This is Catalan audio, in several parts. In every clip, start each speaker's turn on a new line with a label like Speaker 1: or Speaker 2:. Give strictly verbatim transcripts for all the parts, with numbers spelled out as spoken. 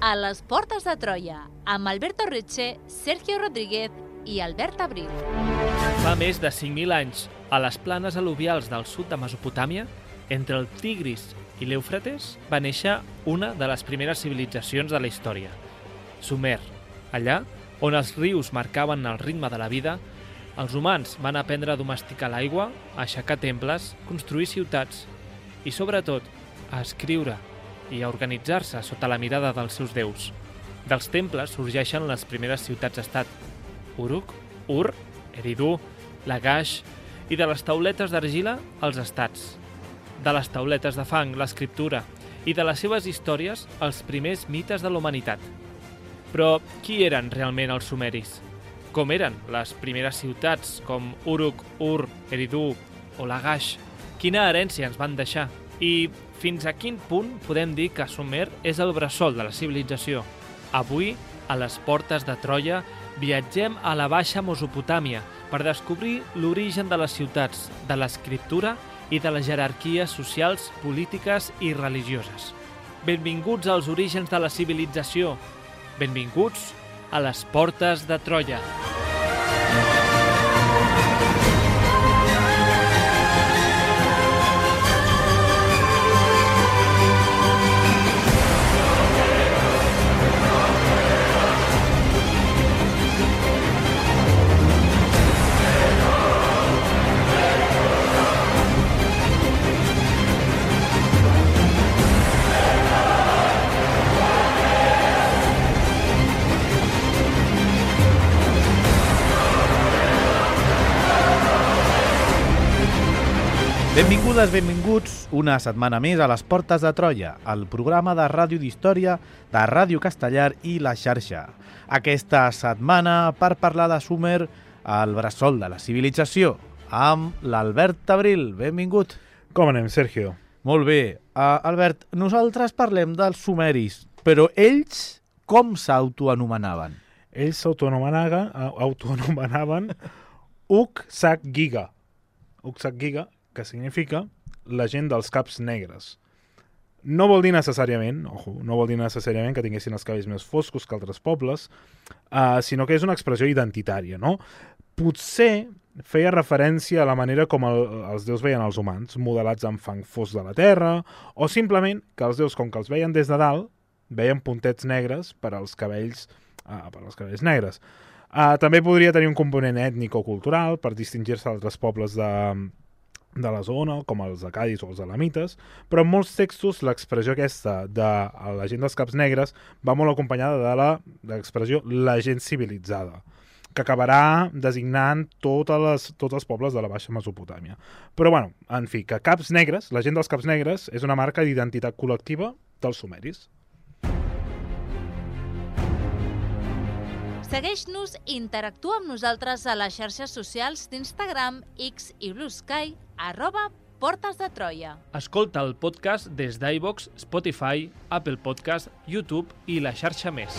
Speaker 1: a les Portes de Troia, amb Alberto Reche, Sergio Rodríguez i Albert Abril.
Speaker 2: Fa més de cinc mil anys, a les planes al·luvials del sud de Mesopotàmia, entre el Tigris i l'Eufrates, va néixer una de les primeres civilitzacions de la història, Sumer. Allà, on els rius marcaven el ritme de la vida, els humans van aprendre a domesticar l'aigua, a aixecar temples, construir ciutats i, sobretot, a escriure i a organitzar-se sota la mirada dels seus déus. Dels temples sorgeixen les primeres ciutats-estat, Uruk, Ur, Eridu, Lagash, i de les tauletes d'argila, els estats. De les tauletes de fang, l'escriptura, i de les seves històries, els primers mites de la humanitat. Però qui eren realment els sumeris? Com eren les primeres ciutats com Uruk, Ur, Eridu o Lagash? Quina herència ens van deixar? I fins a quin punt podem dir que Sumer és el bressol de la civilització? Avui, a les Portes de Troia, viatgem a la Baixa Mesopotàmia per descobrir l'origen de les ciutats, de l'escriptura i de les jerarquies socials, polítiques i religioses. Benvinguts als orígens de la civilització. Benvinguts a les Portes de Troia.
Speaker 3: Benvingudes, benvinguts una setmana més a les Portes de Troia, el programa de ràdio d'història de Ràdio Castellar i La Xarxa. Aquesta setmana per parlar de Sumer, el bressol de la civilització, amb l'Albert Abril. Benvingut.
Speaker 4: Com anem, Sergio?
Speaker 3: Molt bé. Uh, Albert, nosaltres parlem dels sumeris, però ells com s'autoanomenaven?
Speaker 4: Ells s'autoanomenaven autoanomenaven Uksaggiga. Uksaggiga, que significa la gent dels caps negres. No vol dir necessàriament, ojo, no vol dir necessàriament que tinguessin els cabells més foscos que altres pobles, uh, sinó que és una expressió identitària, no? Potser feia referència a la manera com el, els déus veien els humans, modelats amb fang fos de la terra, o simplement que els déus, com que els veien des de dalt, veien puntets negres per als cabells, uh, per als cabells negres. Uh, també podria tenir un component ètnic o cultural per distingir-se d'altres pobles de... de la zona, com els acadis o els elamites, però en molts textos l'expressió aquesta de la gent dels caps negres va molt acompanyada de la de l'expressió la gent civilitzada, que acabarà designant totes les, tots els pobles de la Baixa Mesopotàmia. Però, bueno, en fi, que caps negres, la gent dels caps negres, és una marca d'identitat col·lectiva dels sumeris.
Speaker 1: Segueix-nos i interactua amb nosaltres a les xarxes socials d'Instagram, X i Blue Sky, arroba Portes de Troia.
Speaker 2: Escolta el podcast des d'iVoox, Spotify, Apple Podcast, YouTube i la xarxa més.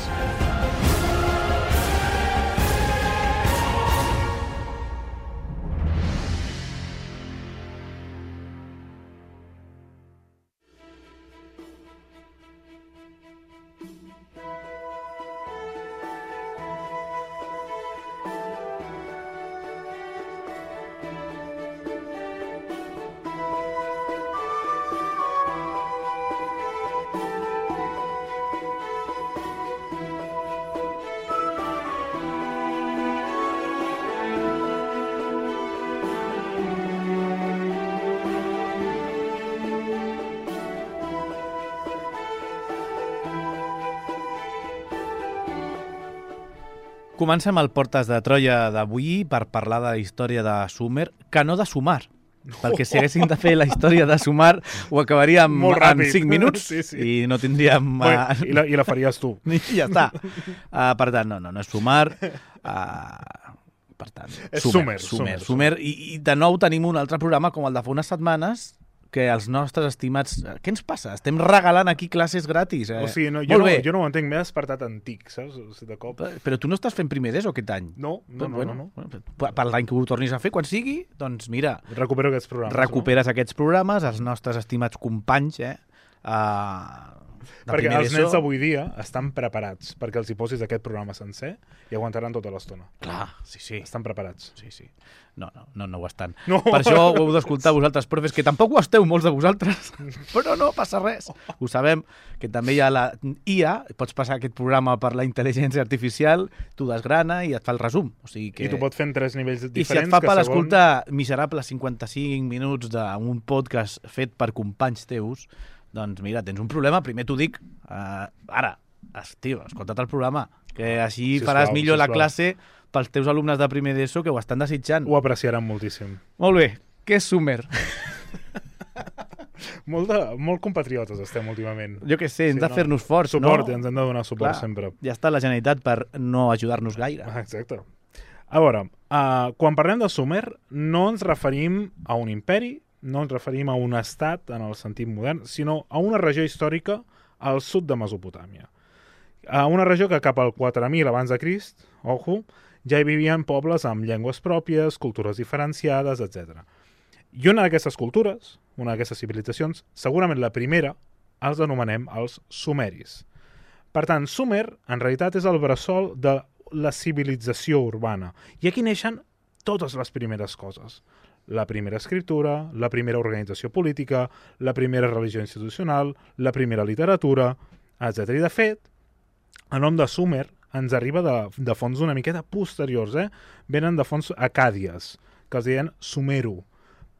Speaker 3: Comencem el Portes de Troia d'avui per parlar de la història de Sumer, que no de Sumar, perquè si haguéssim de fer la història de Sumar ho acabaríem en cinc minuts sí, sí. I no tindríem...
Speaker 4: Bueno, uh... i, la, I la faries tu.
Speaker 3: I ja està. Uh, per tant, no, no, no és Sumar. Uh, per tant,
Speaker 4: és
Speaker 3: Sumer.
Speaker 4: Sumer.
Speaker 3: Sumer, Sumer. I, I de nou tenim un altre programa com el de fa unes setmanes, que els nostres estimats... Què ens passa? Estem regalant aquí classes gratis. Eh?
Speaker 4: O sigui, no, jo, no, jo no ho entenc, m'he despertat antic, saps? De cop.
Speaker 3: Però tu no estàs fent primer d'ESO aquest any?
Speaker 4: No, no,
Speaker 3: Però,
Speaker 4: no.
Speaker 3: bueno,
Speaker 4: no, no.
Speaker 3: Per, per l'any que ho tornis a fer, quan sigui, doncs mira...
Speaker 4: Recupero aquests programes.
Speaker 3: Recuperes no? aquests programes, els nostres estimats companys, eh? Uh, de
Speaker 4: perquè
Speaker 3: primer
Speaker 4: els
Speaker 3: d'ESO...
Speaker 4: nens d'avui dia estan preparats perquè els hi posis aquest programa sencer i aguantaran tota l'estona.
Speaker 3: Clar, sí, sí.
Speaker 4: Estan preparats.
Speaker 3: Sí, sí. No, no, no, no ho estan.
Speaker 4: No.
Speaker 3: Per això ho heu d'escoltar vosaltres, profes, que tampoc ho esteu molts de vosaltres, però no passa res. Ho sabem, que també hi ha la I A, pots passar aquest programa per la intel·ligència artificial, tu desgrana i et fa el resum. O sigui que...
Speaker 4: I tu pots fer en tres nivells diferents.
Speaker 3: I si et fa
Speaker 4: que
Speaker 3: per
Speaker 4: segon...
Speaker 3: escoltar miserables cinquanta-cinc minuts d'un podcast fet per companys teus, doncs mira, tens un problema. Primer t'ho dic, uh, ara, tio, escolta't el programa, que així
Speaker 4: Sisplau,
Speaker 3: faràs millor la
Speaker 4: sisplau.
Speaker 3: classe pels teus alumnes de primer d'ESO que ho estan desitjant.
Speaker 4: Ho apreciaran moltíssim.
Speaker 3: Molt bé. Què és Summer?
Speaker 4: molt, de, molt compatriotes estem últimament.
Speaker 3: Jo què sé, hem
Speaker 4: Sí,
Speaker 3: de
Speaker 4: no?
Speaker 3: fer-nos forts,
Speaker 4: Suport,
Speaker 3: no?
Speaker 4: ens hem de donar suport
Speaker 3: Clar,
Speaker 4: sempre.
Speaker 3: ja està la Generalitat per no ajudar-nos gaire.
Speaker 4: Ah, exacte. A veure, uh, quan parlem de Sumer, no ens referim a un imperi, no ens referim a un estat en el sentit modern, sinó a una regió històrica al sud de Mesopotàmia. A una regió que cap al quatre mil abans de Crist, ojo, ja hi vivien pobles amb llengües pròpies, cultures diferenciades, etcètera. I una d'aquestes cultures, una d'aquestes civilitzacions, segurament la primera, els anomenem els sumeris. Per tant, Sumer, en realitat, és el bressol de la civilització urbana. I aquí neixen totes les primeres coses. La primera escriptura, la primera organització política, la primera religió institucional, la primera literatura, etcètera. I, de fet, el nom de Sumer ens arriba de, de fonts una miqueta posteriors, eh? Venen de fonts acàdies, que els deien Sumeru,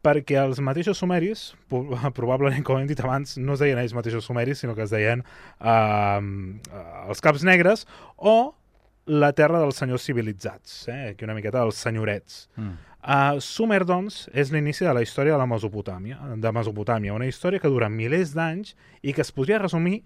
Speaker 4: perquè els mateixos sumeris, probablement, com hem dit abans, no es deien ells mateixos sumeris, sinó que es deien uh, els caps negres o la terra dels senyors civilitzats, eh? Aquí una miqueta dels senyorets. Mm. Uh, Sumer, doncs, és l'inici de la història de la Mesopotàmia, de Mesopotàmia, una història que dura milers d'anys i que es podria resumir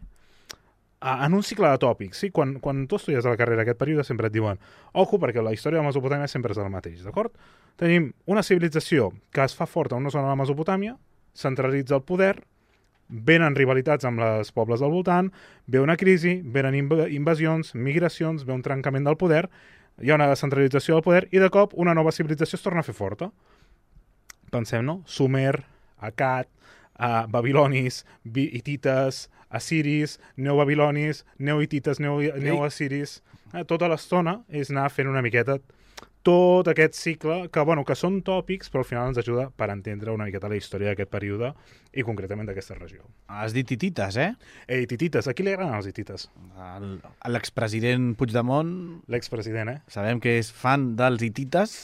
Speaker 4: en un cicle de tòpics. Sí? Quan, quan tu estudies a la carrera aquest període sempre et diuen ojo, perquè la història de Mesopotàmia sempre és el mateix, d'acord? Tenim una civilització que es fa forta en una zona de la Mesopotàmia, centralitza el poder, venen rivalitats amb els pobles del voltant, ve una crisi, venen inv invasions, migracions, ve un trencament del poder, hi ha una descentralització del poder i de cop una nova civilització es torna a fer forta. Pensem, no? Sumer, Akkad, uh, babilonis, hitites, assiris, neobabilonis, neohitites, neoassiris... Eh, tota l'estona és anar fent una miqueta tot aquest cicle, que, bueno, que són tòpics, però al final ens ajuda per entendre una miqueta la història d'aquest període i concretament d'aquesta regió.
Speaker 3: Has dit hitites, eh?
Speaker 4: Eh, hitites. A qui li agraden els hitites?
Speaker 3: L'expresident Puigdemont...
Speaker 4: L'expresident, eh?
Speaker 3: Sabem que és fan dels hitites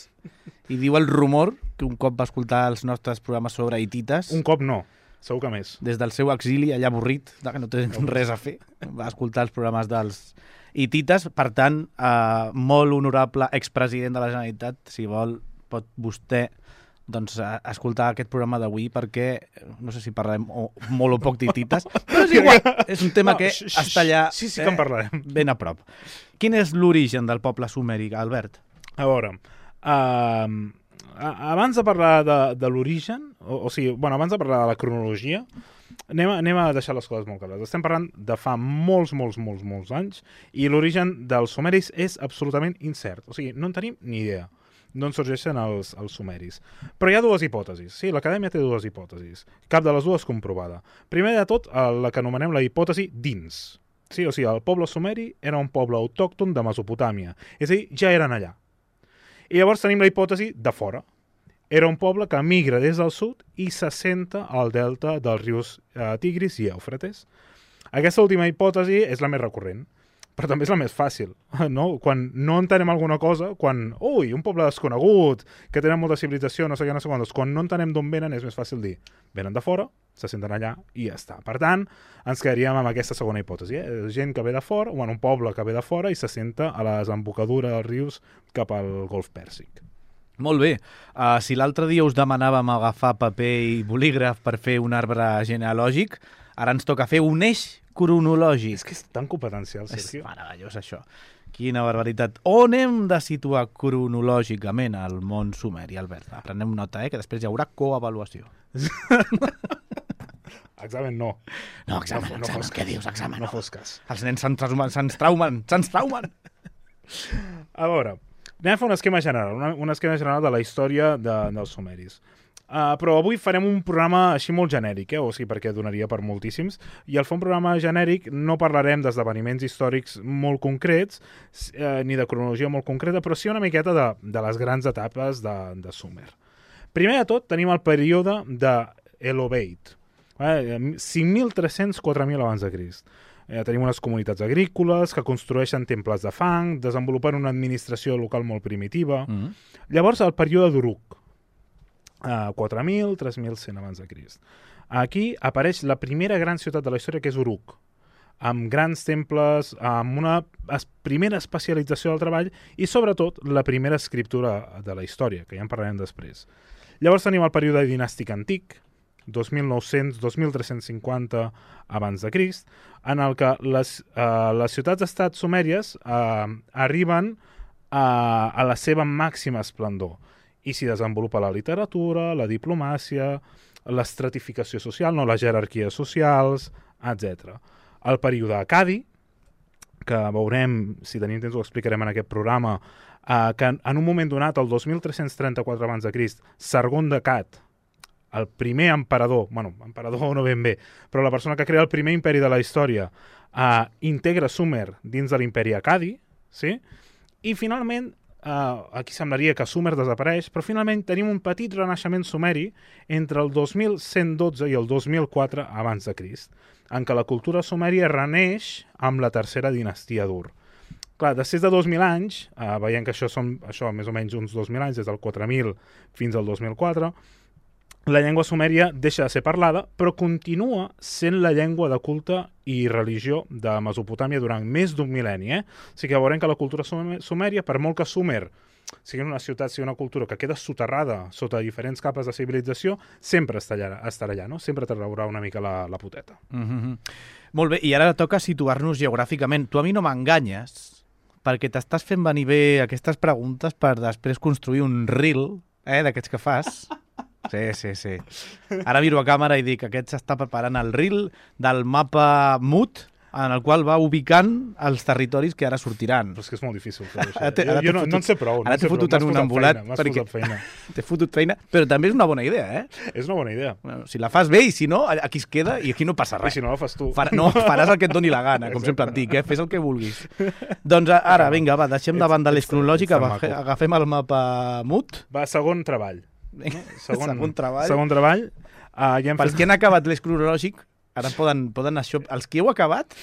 Speaker 3: i diu el rumor que un cop va escoltar els nostres programes sobre hitites...
Speaker 4: Un cop no, segur que més.
Speaker 3: Des del seu exili, allà avorrit, que no té res a fer, va escoltar els programes dels hitites. Per tant, eh, molt honorable expresident de la Generalitat, si vol, pot vostè doncs, escoltar aquest programa d'avui perquè, no sé si parlarem o, molt o poc d'hitites, però és igual, és un tema no, que sh, està allà
Speaker 4: sí, sí que en parlarem.
Speaker 3: Eh, ben a prop. Quin és l'origen del poble sumeri, Albert?
Speaker 4: A veure, uh, abans de parlar de, de l'origen, o, o sigui, bueno, abans de parlar de la cronologia, anem a, anem a deixar les coses molt clares. Estem parlant de fa molts, molts, molts, molts anys i l'origen dels sumeris és absolutament incert. O sigui, no en tenim ni idea d'on sorgeixen els, els sumeris. Però hi ha dues hipòtesis. Sí, l'acadèmia té dues hipòtesis. Cap de les dues comprovada. Primer de tot, la que anomenem la hipòtesi dins. Sí, o sigui, el poble sumeri era un poble autòcton de Mesopotàmia. És a dir, ja eren allà. I llavors tenim la hipòtesi de fora. Era un poble que migra des del sud i s'assenta al delta dels rius eh, Tigris i Eufrates. Aquesta última hipòtesi és la més recurrent, però també és la més fàcil. No? Quan no entenem alguna cosa, quan, ui, un poble desconegut, que tenen molta civilització, no sé què, no sé quantos, quan no entenem d'on venen és més fàcil dir, venen de fora, s'assenten allà i ja està. Per tant, ens quedaríem amb aquesta segona hipòtesi. Eh? Gent que ve de fora, o en un poble que ve de fora i s'assenta a la desembocadura dels rius cap al Golf Pèrsic.
Speaker 3: Molt bé. Uh, si l'altre dia us demanàvem agafar paper i bolígraf per fer un arbre genealògic, ara ens toca fer un eix cronològic.
Speaker 4: És que és tan competencial, Sergio.
Speaker 3: És meravellós, això. Quina barbaritat. On hem de situar cronològicament el món sumeri, Albert? Prenem nota, eh, que després hi haurà coavaluació.
Speaker 4: Examen no.
Speaker 3: No, examen,
Speaker 4: no, no
Speaker 3: examen.
Speaker 4: Fos
Speaker 3: Què dius, examen?
Speaker 4: No fos cas.
Speaker 3: Els nens se'ns traumen, se'ns traumen, se'ns traumen.
Speaker 4: A veure, anem a fer un esquema general, una, un esquema general de la història de, dels sumeris. Uh, però avui farem un programa així molt genèric, eh? O sigui, perquè donaria per moltíssims. I al fer un programa genèric no parlarem d'esdeveniments històrics molt concrets, eh, ni de cronologia molt concreta, però sí una miqueta de, de les grans etapes de, de Sumer. Primer de tot tenim el període de Elobeit, eh? cinc mil tres-cents a quatre mil abans de Crist. Eh, tenim unes comunitats agrícoles que construeixen temples de fang, desenvolupen una administració local molt primitiva. Mm. Llavors, el període d'Uruk, Uh, quatre mil, tres mil cent abans de Crist. Aquí apareix la primera gran ciutat de la història, que és Uruk, amb grans temples, amb una es primera especialització del treball i, sobretot, la primera escriptura de la història, que ja en parlarem després. Llavors tenim el període dinàstic antic, dos mil nou-cents a dos mil tres-cents cinquanta abans de Crist, en el que les, uh, les ciutats-estat sumèries uh, arriben a, a la seva màxima esplendor. I s'hi desenvolupa la literatura, la diplomàcia, l'estratificació social, no, les jerarquies socials, etcètera. El període Accadi, que veurem, si tenim temps ho explicarem en aquest programa, eh, que en, en un moment donat, el dos mil tres-cents trenta-quatre abans de Crist, Sargon d'Accad, el primer emperador, bueno, emperador no ben bé, però la persona que crea el primer imperi de la història, eh, integra Sumer dins de l'imperi Accadi, sí? I finalment, Uh, aquí semblaria que Sumer desapareix, però finalment tenim un petit renaixement sumeri entre el dos mil cent dotze i el dos mil quatre abans de Crist, en què la cultura sumèria reneix amb la tercera dinastia d'Ur. Clar, després de dos mil anys, uh, veiem que això són això, més o menys uns dos mil anys, des del quatre mil fins al dos mil quatre, la llengua sumèria deixa de ser parlada, però continua sent la llengua de culte i religió de Mesopotàmia durant més d'un mil·lenni. Eh? O sigui que veurem que la cultura sumèria, per molt que Sumer sigui una ciutat, sigui una cultura que queda soterrada sota diferents capes de civilització, sempre estarà allà, estarà allà no? Sempre t'arraurà una mica la, la poteta.
Speaker 3: Mm-hmm. Molt bé, i ara toca situar-nos geogràficament. Tu a mi no m'enganyes, perquè t'estàs fent venir bé aquestes preguntes per després construir un reel, eh, d'aquests que fas. Sí, sí, sí. Ara miro a càmera i dic que aquest s'està preparant el reel del mapa M U T, en el qual va ubicant els territoris que ara sortiran.
Speaker 4: Però és que és molt difícil fer això. Ara jo jo no, fotut, no en sé prou.
Speaker 3: Ara
Speaker 4: no
Speaker 3: t'he fotut en un embolat.
Speaker 4: Perquè t'he
Speaker 3: fotut feina, però també és una bona idea, eh?
Speaker 4: És una bona idea.
Speaker 3: Bueno, si la fas bé i si no, aquí es queda i aquí no passa res.
Speaker 4: I si no la fas tu.
Speaker 3: Far, no, faràs el que et doni la gana, com sempre et dic, eh? Fes el que vulguis. Doncs ara, vinga, va, deixem davant de l'eix cronològica, agafem el mapa M U T.
Speaker 4: Va, segon treball.
Speaker 3: Segon, segon treball.
Speaker 4: Segon treball. Uh, ja
Speaker 3: Pels fet... que han acabat l'eix cronològic, ara poden, poden això... Els que heu acabat,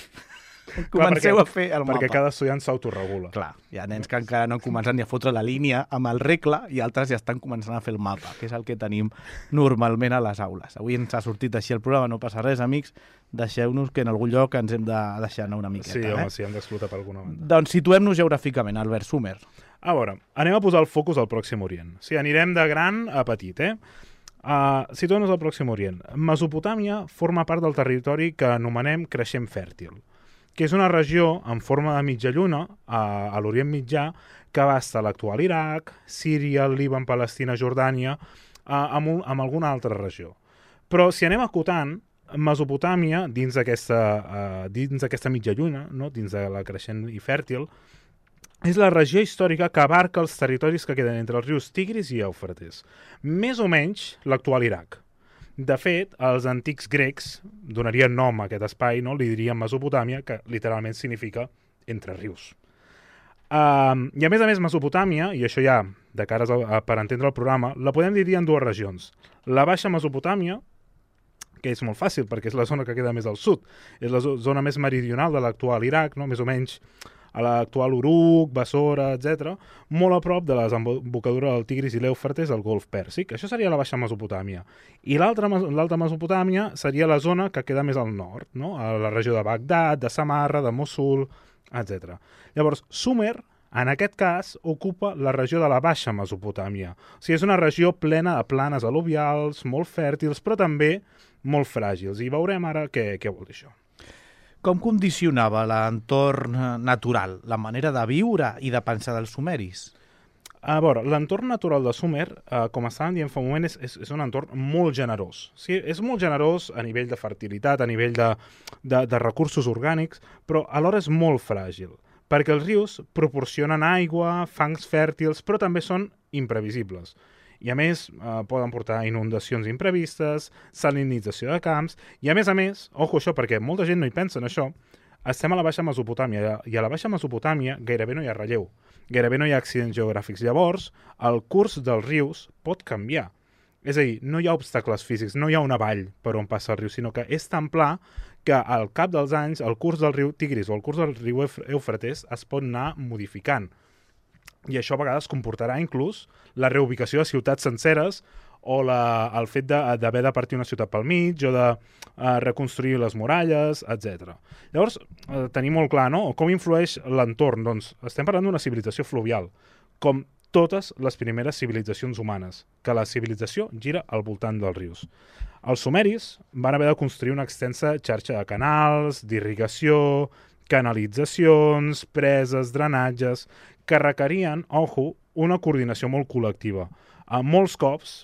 Speaker 3: comenceu
Speaker 4: Clar, perquè,
Speaker 3: a fer el mapa.
Speaker 4: Perquè cada estudiant s'autoregula.
Speaker 3: Clar, hi ha nens que encara no han començat ni a fotre la línia amb el regle i altres ja estan començant a fer el mapa, que és el que tenim normalment a les aules. Avui ens ha sortit així el programa, no passa res, amics. Deixeu-nos que en algun lloc ens hem de deixar anar una miqueta.
Speaker 4: Sí, home,
Speaker 3: eh?
Speaker 4: sí, hem d'explotar per alguna banda.
Speaker 3: Doncs situem-nos geogràficament, Albert Sumer.
Speaker 4: A veure, anem a posar el focus al Pròxim Orient. O sigui, anirem de gran a petit, eh? Uh, Situem-nos al Pròxim Orient. Mesopotàmia forma part del territori que anomenem Creixent Fèrtil, que és una regió en forma de mitja lluna a, a l'Orient Mitjà que abasta l'actual Iraq, Síria, Líban, Palestina, Jordània, uh, amb, un, amb alguna altra regió. Però si anem acotant, Mesopotàmia, dins d'aquesta uh, dins d'aquesta mitja lluna, no? Dins de la Creixent i Fèrtil, és la regió històrica que abarca els territoris que queden entre els rius Tigris i Eufrates. Més o menys l'actual Iraq. De fet, els antics grecs donarien nom a aquest espai, no? Li dirien Mesopotàmia, que literalment significa entre rius. Uh, I a més a més, Mesopotàmia, i això ja de cares a, a, per entendre el programa, la podem dividir en dues regions. La Baixa Mesopotàmia, que és molt fàcil perquè és la zona que queda més al sud, és la zona més meridional de l'actual Iraq, no? Més o menys a l'actual Uruk, Bassora, etcètera, molt a prop de la desembocadura del Tigris i l'Eufrates al Golf Pèrsic. Això seria la Baixa Mesopotàmia. I l'altra Mesopotàmia seria la zona que queda més al nord, no? A la regió de Bagdad, de Samarra, de Mossul, etcètera. Llavors, Sumer, en aquest cas, ocupa la regió de la Baixa Mesopotàmia. O sigui, és una regió plena de planes al·luvials, molt fèrtils, però també molt fràgils. I veurem ara què, què vol dir això.
Speaker 3: Com condicionava l'entorn natural, la manera de viure i de pensar dels sumeris?
Speaker 4: A veure, l'entorn natural de Sumer, eh, com estàvem dient fa un moment, és, és, és un entorn molt generós. Sí, és molt generós a nivell de fertilitat, a nivell de, de, de recursos orgànics, però alhora és molt fràgil, perquè els rius proporcionen aigua, fangs fèrtils, però també són imprevisibles. I a més eh, poden portar inundacions imprevistes, salinització de camps, i a més a més, ojo això, perquè molta gent no hi pensa en això, estem a la Baixa Mesopotàmia, i a la Baixa Mesopotàmia gairebé no hi ha relleu, gairebé no hi ha accidents geogràfics. Llavors, el curs dels rius pot canviar. És a dir, no hi ha obstacles físics, no hi ha una vall per on passa el riu, sinó que és tan pla que al cap dels anys el curs del riu Tigris o el curs del riu Eufrates es pot anar modificant. I això a vegades comportarà inclús la reubicació de ciutats senceres o la, el fet d'haver de, de partir una ciutat pel mig o de uh, reconstruir les muralles, etcètera. Llavors, uh, tenim molt clar, no? Com influeix l'entorn? Doncs estem parlant d'una civilització fluvial, com totes les primeres civilitzacions humanes, que la civilització gira al voltant dels rius. Els sumeris van haver de construir una extensa xarxa de canals, d'irrigació, canalitzacions, preses, drenatges, que requerien, ojo, una coordinació molt col·lectiva. A molts cops,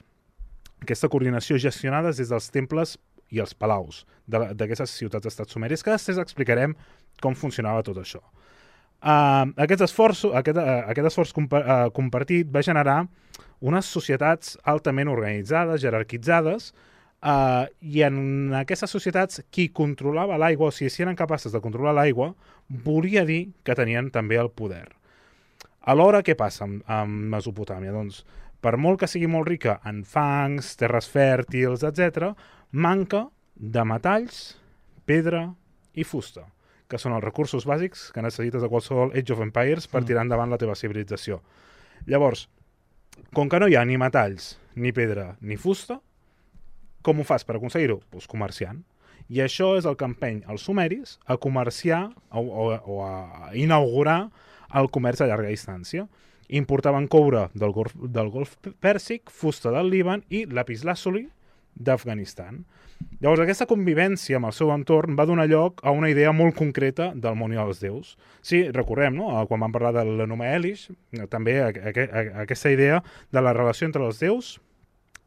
Speaker 4: aquesta coordinació gestionada des dels temples i els palaus d'aquestes ciutats-estats sumeris, que després explicarem com funcionava tot això. Uh, aquest, esforç, aquest, uh, aquest esforç compa uh, compartit va generar unes societats altament organitzades, jerarquitzades, uh, i en aquestes societats qui controlava l'aigua, o sigui, si eren capaces de controlar l'aigua, volia dir que tenien també el poder. Alhora, què passa amb, amb Mesopotàmia? Doncs, per molt que sigui molt rica en fangs, terres fèrtils, etcètera, manca de metalls, pedra i fusta, que són els recursos bàsics que necessites a qualsevol Age of Empires per tirar endavant la teva civilització. Llavors, com que no hi ha ni metalls, ni pedra, ni fusta, com ho fas per aconseguir-ho? Doncs comerciant. I això és el que empeny els sumeris a comerciar o, o, o a inaugurar el comerç a llarga distància. Importaven coure del Golf, del Golf Pèrsic, fusta del Líban i lapislàsoli d'Afganistan. Llavors, aquesta convivència amb el seu entorn va donar lloc a una idea molt concreta del món i dels déus. Sí, recordem, no? Quan vam parlar de l'Enuma Elish, també a, a, a, aquesta idea de la relació entre els déus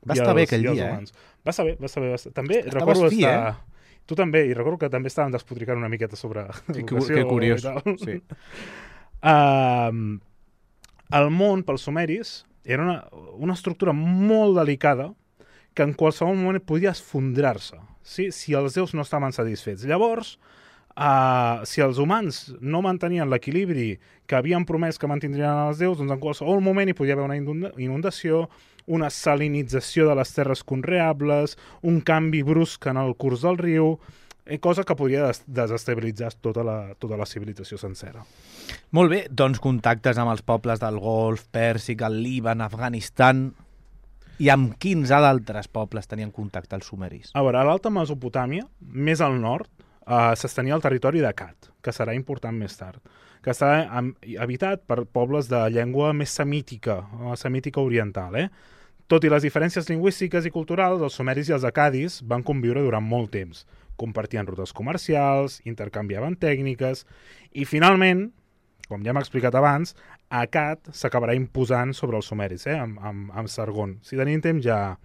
Speaker 3: va estar els, bé aquell dia, eh?
Speaker 4: Va estar bé, va estar bé. Va estar... També
Speaker 3: Estaves
Speaker 4: recordo
Speaker 3: fi,
Speaker 4: estar...
Speaker 3: eh?
Speaker 4: Tu també, i recordo que també estàvem despotricant una miqueta sobre
Speaker 3: que,
Speaker 4: educació.
Speaker 3: Que curiós, sí.
Speaker 4: Uh, el món, pels sumeris, era una, una estructura molt delicada que en qualsevol moment podia esfondrar-se, sí? Si els déus no estaven satisfets. Llavors, uh, si els humans no mantenien l'equilibri que havien promès que mantindrien els déus, doncs en qualsevol moment hi podia haver una inundació, una salinització de les terres conreables, un canvi brusc en el curs del riu, cosa que podria des desestabilitzar tota la, tota la civilització sencera.
Speaker 3: Molt bé, doncs contactes amb els pobles del Golf Pèrsic, el Líban, Afganistan... I amb quins altres pobles tenien contacte els sumeris?
Speaker 4: A veure, a l'Alta Mesopotàmia, més al nord, eh, s'estenia el territori d'Akkad, que serà important més tard, que està habitat per pobles de llengua més semítica, semítica oriental. Eh? Tot i les diferències lingüístiques i culturals, els sumeris i els accadis van conviure durant molt temps. Compartien rutes comercials, intercanviaven tècniques, i finalment, com ja hem explicat abans, Akkad s'acabarà imposant sobre els sumeris, eh? amb, amb, amb Sargon. Si tenim temps ja,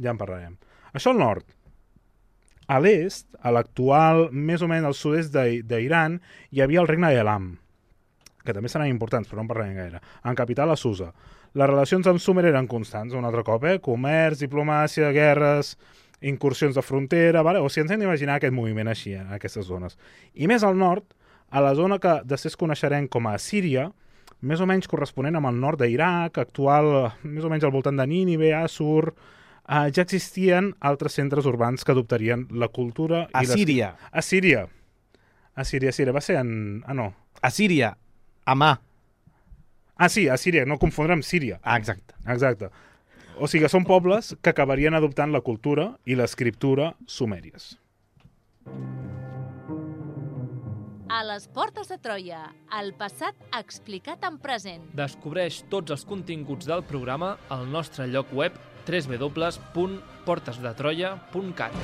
Speaker 4: ja en parlarem. Això al nord. A l'est, a l'actual, més o menys al sud-est d'Iran, hi havia el regne d'Elam, que també seran importants, però no en parlarem gaire. En capital, a Susa. Les relacions amb Sumer eren constants, un altre cop, eh? Comerç, diplomàcia, guerres, incursions de frontera, vale? O si ens hem d'imaginar aquest moviment així, en aquestes zones. I més al nord, a la zona que després coneixerem com a Síria, més o menys corresponent amb el nord d'Iraq, actual, més o menys al voltant de Nínive, Assur, eh, ja existien altres centres urbans que adoptarien la cultura...
Speaker 3: A
Speaker 4: i
Speaker 3: Síria.
Speaker 4: Les... A Síria. A Síria, Síria. Va ser en... Ah, no.
Speaker 3: A Síria. A mà.
Speaker 4: Ah, sí, a Síria. No confondre amb Síria.
Speaker 3: Ah, exacte.
Speaker 4: Exacte. O sigui que són pobles que acabarien adoptant la cultura i l'escriptura sumèries.
Speaker 1: A les portes de Troia, el passat explicat en present.
Speaker 2: Descobreix tots els continguts del programa al nostre lloc web w w w punt portes de troia punt cat.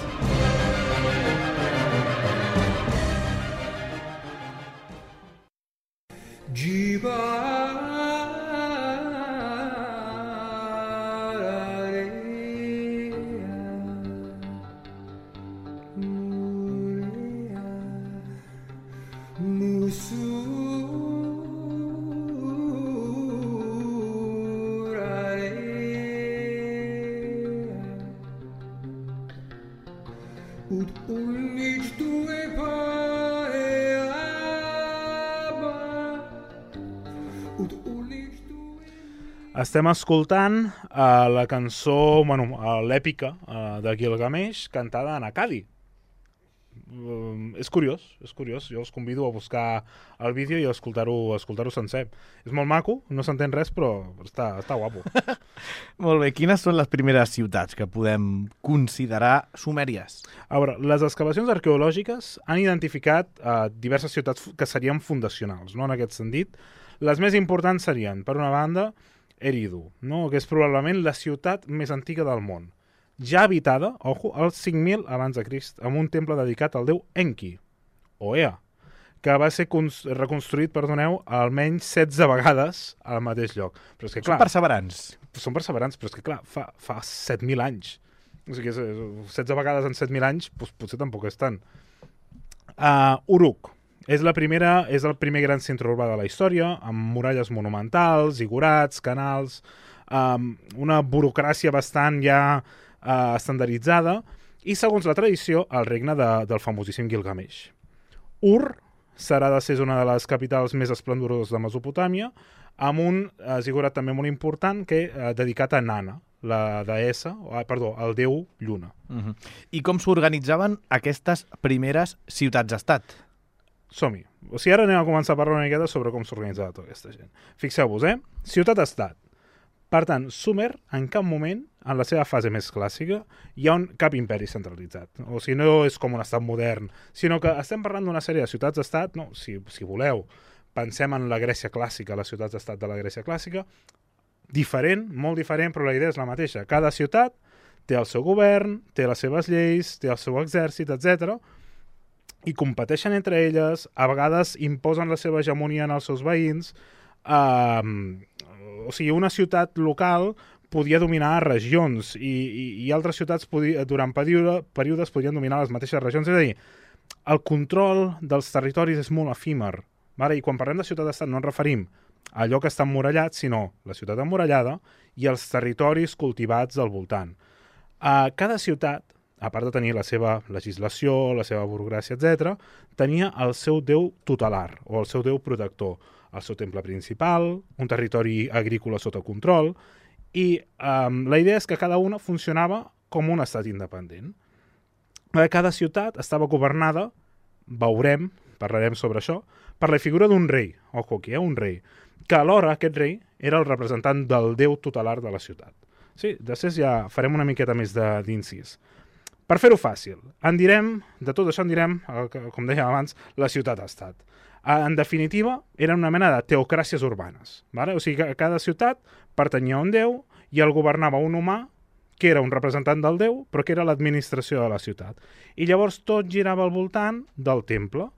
Speaker 4: Estem escoltant uh, la cançó, bueno, uh, l'èpica uh, de Gilgamesh, cantada en acadi. Uh, és curiós, és curiós. Jo us convido a buscar el vídeo i a escoltar-ho escoltar-ho sencer. És molt maco, no s'entén res, però està, està guapo.
Speaker 3: Molt bé, quines són les primeres ciutats que podem considerar sumèries?
Speaker 4: A veure, les excavacions arqueològiques han identificat uh, diverses ciutats que serien fundacionals, no? En aquest sentit. Les més importants serien, per una banda, Eridu, no? Que és probablement la ciutat més antiga del món. Ja habitada, ojo, als cinc mil abans de Crist, amb un temple dedicat al déu Enki, o Ea, que va ser reconstruït, perdoneu, almenys setze vegades al mateix lloc. Però és que, clar,
Speaker 3: són perseverants.
Speaker 4: Són perseverants, però és que, clar, fa, fa set mil anys. O sigui, setze vegades en set mil anys, doncs, potser tampoc és tant. Uh, Uruk. És, la primera, és el primer gran centre urbà de la història, amb muralles monumentals, zigurats, canals, um, una burocràcia bastant ja uh, estandarditzada, i segons la tradició, el regne de, del famosíssim Gilgamesh. Ur serà de ser una de les capitals més esplendoroses de Mesopotàmia, amb un uh, zigurat també molt important que uh, dedicat a Nana, la deessa, uh, perdó, el déu Lluna.
Speaker 3: Uh-huh. I com s'organitzaven aquestes primeres ciutats-estat?
Speaker 4: Som-hi. O sigui, ara anem a començar a parlar una miqueta sobre com s'organitzava tota aquesta gent. Fixeu-vos, eh? Ciutat-estat. Per tant, Sumer, en cap moment, en la seva fase més clàssica, hi ha un, cap imperi centralitzat. O sigui, no és com un estat modern, sinó que estem parlant d'una sèrie de ciutats-estat, no, si, si voleu, pensem en la Grècia clàssica, les ciutats-estat de la Grècia clàssica, diferent, molt diferent, però la idea és la mateixa. Cada ciutat té el seu govern, té les seves lleis, té el seu exèrcit, etcètera, i competeixen entre elles, a vegades imposen la seva hegemonia en els seus veïns. Uh, o sigui, una ciutat local podia dominar regions i, i, i altres ciutats podia, durant període, períodes podien dominar les mateixes regions. És a dir, el control dels territoris és molt efímer. Vale? I quan parlem de ciutat-estat no ens referim a allò que està emmurallat, sinó la ciutat emmurallada i els territoris cultivats al voltant. Uh, cada ciutat, a part de tenir la seva legislació, la seva burocràcia, etcètera, tenia el seu déu tutelar, o el seu déu protector, el seu temple principal, un territori agrícola sota control, i um, la idea és que cada una funcionava com un estat independent. Cada ciutat estava governada, veurem, parlarem sobre això, per la figura d'un rei, ojo aquí, eh, un rei, que alhora aquest rei era el representant del déu tutelar de la ciutat. Sí, després ja farem una miqueta més d'incís. Per fer-ho fàcil, en direm, de tot això en direm, com dèiem abans, la ciutat-estat. En definitiva, era una mena de teocràcies urbanes. Vale? O sigui que cada ciutat pertanyia a un déu i el governava un humà que era un representant del déu, però que era l'administració de la ciutat. I llavors tot girava al voltant del temple,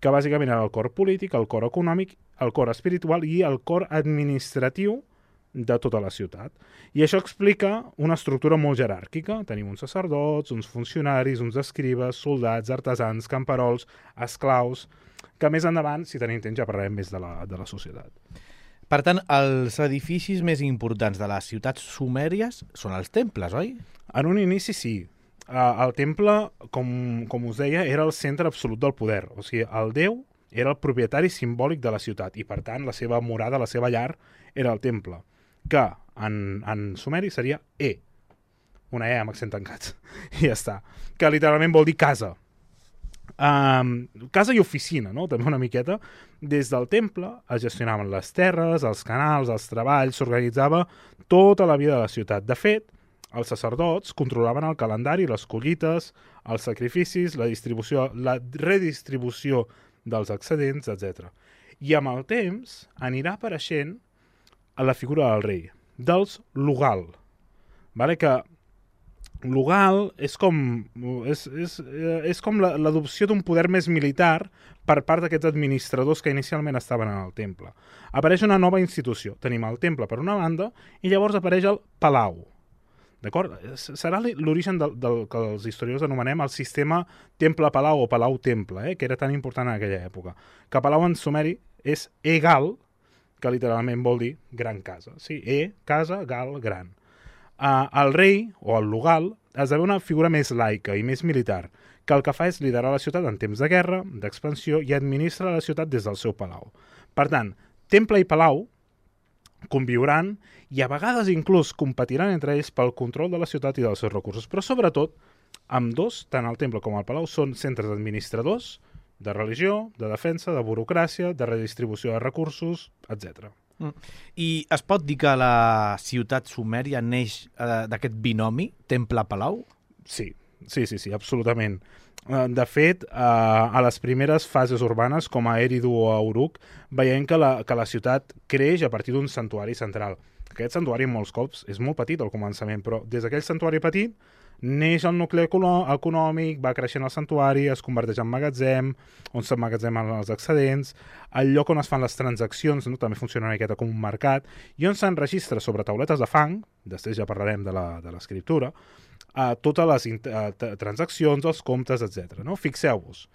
Speaker 4: que bàsicament era el cor polític, el cor econòmic, el cor espiritual i el cor administratiu de tota la ciutat. I això explica una estructura molt jeràrquica. Tenim uns sacerdots, uns funcionaris, uns escribes, soldats, artesans, camperols, esclaus, que més endavant, si tenim temps, ja parlarem més de la, de la societat.
Speaker 3: Per tant, els edificis més importants de les ciutats sumèries són els temples, oi?
Speaker 4: En un inici sí. El temple, com, com us deia, era el centre absolut del poder. O sigui, el déu era el propietari simbòlic de la ciutat i, per tant, la seva morada, la seva llar, era el temple, que en, en sumeri seria E, una E amb accent tancat, i ja està, que literalment vol dir casa. Um, casa i oficina, no? També una miqueta. Des del temple es gestionaven les terres, els canals, els treballs, s'organitzava tota la vida de la ciutat. De fet, els sacerdots controlaven el calendari, les collites, els sacrificis, la distribució, la redistribució dels excedents, etcètera. I amb el temps anirà apareixent a la figura del rei, dels Lugal. Vale? Que Lugal és com, és, és, és com l'adopció d'un poder més militar per part d'aquests administradors que inicialment estaven en el temple. Apareix una nova institució. Tenim el temple per una banda i llavors apareix el palau. D'acord? Serà l'origen del, del que els historiadors anomenem el sistema temple-palau o palau-temple, eh? Que era tan important en aquella època. Que palau en sumeri és egal, que literalment vol dir gran casa. Sí, E, casa, gal, gran. Uh, el rei, o el lugal, esdevé una figura més laica i més militar, que el que fa és liderar la ciutat en temps de guerra, d'expansió, i administra la ciutat des del seu palau. Per tant, temple i palau conviuran i a vegades inclús competiran entre ells pel control de la ciutat i dels seus recursos. Però sobretot, amb dos, tant el temple com el palau, són centres administradors, de religió, de defensa, de burocràcia, de redistribució de recursos, etcètera.
Speaker 3: Mm. I es pot dir que la ciutat sumèria neix eh, d'aquest binomi, temple-palau?
Speaker 4: Sí, sí, sí, sí, absolutament. De fet, a les primeres fases urbanes, com a Eridu o a Uruk, veiem que la, que la ciutat creix a partir d'un santuari central. Aquest santuari, molts cops, és molt petit al començament, però des d'aquell santuari petit neix el nucli econòmic, va creixent el santuari, es converteix en magatzem, on s'emmagatzemen els excedents, el lloc on es fan les transaccions, no? També funciona una miqueta com un mercat, i on s'enregistra sobre tauletes de fang, després ja parlarem de l'escriptura, a totes les a, transaccions, els comptes, etcètera. No? Fixeu-vos.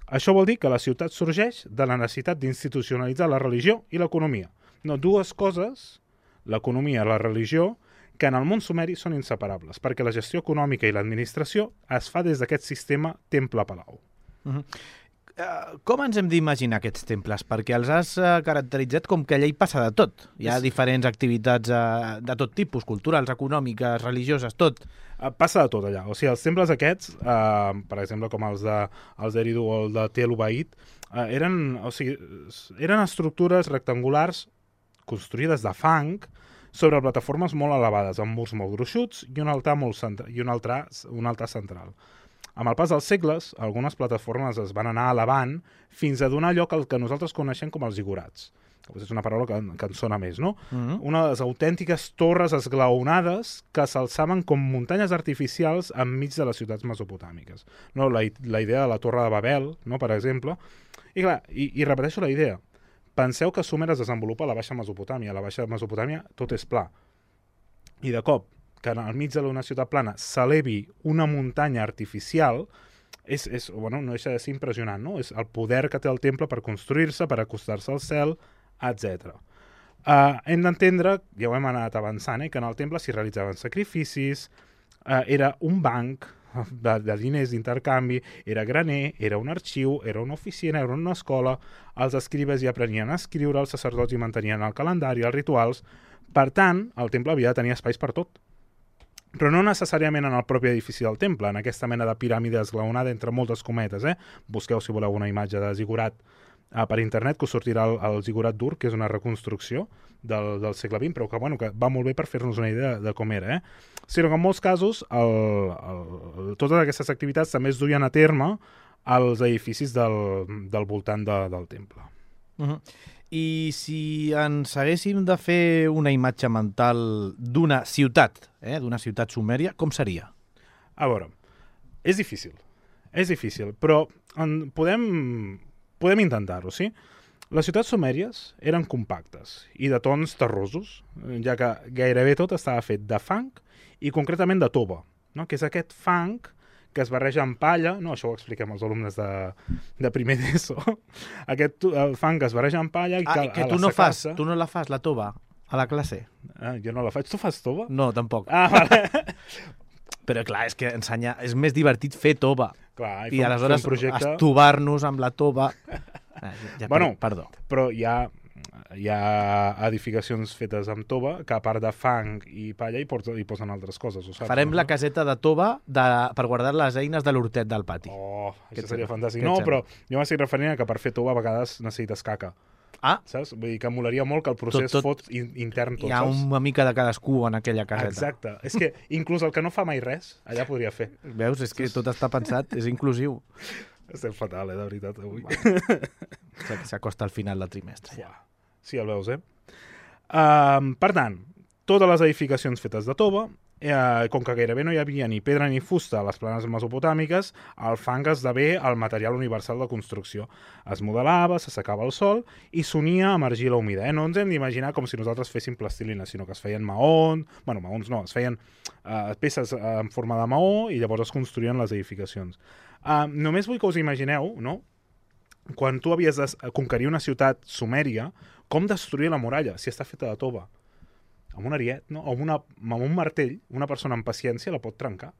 Speaker 4: Això vol dir que la ciutat sorgeix de la necessitat d'institucionalitzar la religió i l'economia. No, dues coses, l'economia i la religió, que en el món sumeri són inseparables, perquè la gestió econòmica i l'administració es fa des d'aquest sistema temple-palau.
Speaker 3: Uh-huh. Uh, com ens hem d'imaginar aquests temples? Perquè els has uh, caracteritzat com que allà hi passa de tot. Hi ha sí. diferents activitats uh, de tot tipus, culturals, econòmiques, religioses, tot.
Speaker 4: Uh, passa de tot allà. O sigui, els temples aquests, uh, per exemple, com els de els d'Eridu o el de Tel Ubaid, uh, eren, o sigui, eren estructures rectangulars construïdes de fang sobre plataformes molt elevades, amb murs molt gruixuts i un altar, molt centra, i un altar, un altar central. Amb el pas dels segles, algunes plataformes es van anar elevant fins a donar lloc al que nosaltres coneixem com els zigurats. És una paraula que, que ens sona més, no? Uh-huh. Unes autèntiques torres esglaonades que s'alçaven com muntanyes artificials enmig de les ciutats mesopotàmiques. No? La, la idea de la Torre de Babel, no? Per exemple. I clar, i, i repeteixo la idea. Penseu que Sumer es desenvolupa a la Baixa Mesopotàmia. A la Baixa Mesopotàmia tot és pla. I de cop, que al mig d'una ciutat plana s'elevi una muntanya artificial, és, és, bueno, no deixa de ser impressionant, no? És el poder que té el temple per construir-se, per acostar-se al cel, etcètera. Uh, hem d'entendre, ja ho hem anat avançant, eh, que en el temple s'hi realitzaven sacrificis, uh, era un banc de, de diners d'intercanvi, era graner, era un arxiu, era una oficina, era una escola, els escribes hi aprenien a escriure, els sacerdots hi mantenien el calendari, els rituals. Per tant, el temple havia de tenir espais per tot. Però no necessàriament en el propi edifici del temple, en aquesta mena de piràmide esglaonada entre moltes cometes. Eh? Busqueu, si voleu, una imatge de zigurat uh, per internet, que us sortirà el, el zigurat d'Ur, que és una reconstrucció del, del segle vint, però que, bueno, que va molt bé per fer-nos una idea de, de com era. Eh? Sinó que en molts casos el, el, totes aquestes activitats també es duien a terme als edificis del, del voltant de, del temple.
Speaker 3: Uh-huh. I si ens haguéssim de fer una imatge mental d'una ciutat, eh, d'una ciutat sumèria, com seria?
Speaker 4: A veure, és difícil, és difícil, però en podem, podem intentar-ho, sí? Les ciutats sumèries eren compactes i de tons terrosos, ja que gairebé tot estava fet de fang i concretament de tova, no? Que és aquest fang que es barreja amb palla, no, això ho expliquem als alumnes de, de primer d'ESO, aquest fang que es barreja amb palla i
Speaker 3: ah,
Speaker 4: que,
Speaker 3: que tu no fas, tu no la fas, la tova, a la classe.
Speaker 4: Ah, jo no la faig. Tu fas tova?
Speaker 3: No, tampoc.
Speaker 4: Ah, vale.
Speaker 3: Però clar, és que ensenyar, és més divertit fer tova.
Speaker 4: Clar,
Speaker 3: i, i aleshores projecte... estovar-nos amb la tova... Ah, ja, ja,
Speaker 4: bueno,
Speaker 3: perdó.
Speaker 4: Però hi ha, hi ha edificacions fetes amb tova que a part de fang i palla hi, porten, hi posen altres coses. Ho saps,
Speaker 3: Farem
Speaker 4: no?
Speaker 3: la caseta de tova de, per guardar les eines de l'hortet del pati.
Speaker 4: Oh, això seria fantàstic. No, però jo m'estic referint a que per fer tova a vegades necessites caca.
Speaker 3: Ah.
Speaker 4: Saps? Vull dir que molaria molt que el procés tot, tot, fos intern tot,
Speaker 3: hi ha
Speaker 4: saps?
Speaker 3: una mica de cadascú en aquella caseta.
Speaker 4: Exacte. És que inclús el que no fa mai res, allà podria fer.
Speaker 3: Veus? És que tot està pensat, és inclusiu.
Speaker 4: Estem fatal, eh, de veritat, avui.
Speaker 3: Bueno, s'acosta al final del trimestre. Ja.
Speaker 4: Sí, el veus, eh? Uh, per tant, totes les edificacions fetes de tova, eh, com que gairebé no hi havia ni pedra ni fusta a les planes mesopotàmiques, el fang esdevé el material universal de construcció. Es modelava, s'assecava al sol i s'unia amb argila humida. Eh? No ens hem d'imaginar com si nosaltres féssim plastilina, sinó que es feien maons, bueno, maons no, es feien uh, peces uh, en forma de maó i llavors es construïen les edificacions. Uh, només vull que us imagineu, no?, quan tu havies de conquerir una ciutat sumèria, com destruir la muralla si està feta de tova. Amb un ariet, no? O amb, una, amb un martell, una persona amb paciència la pot trencar.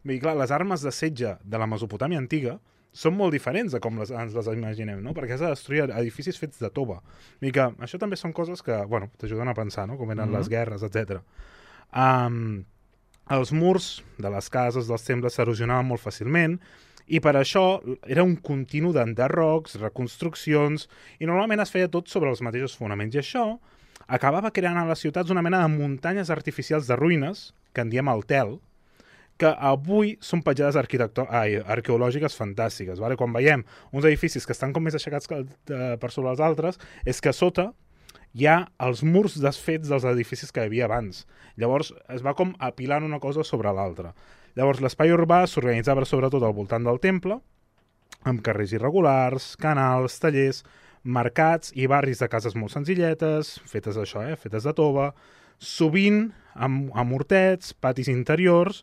Speaker 4: Vull dir, clar, les armes de setge de la Mesopotàmia antiga són molt diferents de com les, ens les imaginem, no? Perquè has de destruir edificis fets de tova. I que això també són coses que, bueno, t'ajuden a pensar, no? Com eren mm-hmm. les guerres, etcètera. Um, els murs de les cases, dels temples, s'erosionaven molt fàcilment, i per això era un continu d'enderrocs, reconstruccions, i normalment es feia tot sobre els mateixos fonaments. I això acabava creant a les ciutats una mena de muntanyes artificials de ruïnes, que en diem el tel, que avui són petjades ai, arqueològiques fantàstiques. Vale? Quan veiem uns edificis que estan com més aixecats que, eh, per sobre els altres, és que a sota hi ha els murs desfets dels edificis que hi havia abans. Llavors es va com apilant una cosa sobre l'altra. Llavors l'espai urbà s'organitzava sobretot al voltant del temple, amb carrers irregulars, canals, tallers, mercats i barris de cases molt senzilletes, fetes d'això, eh? fetes de tova, sovint amb, amb hortets, patis interiors,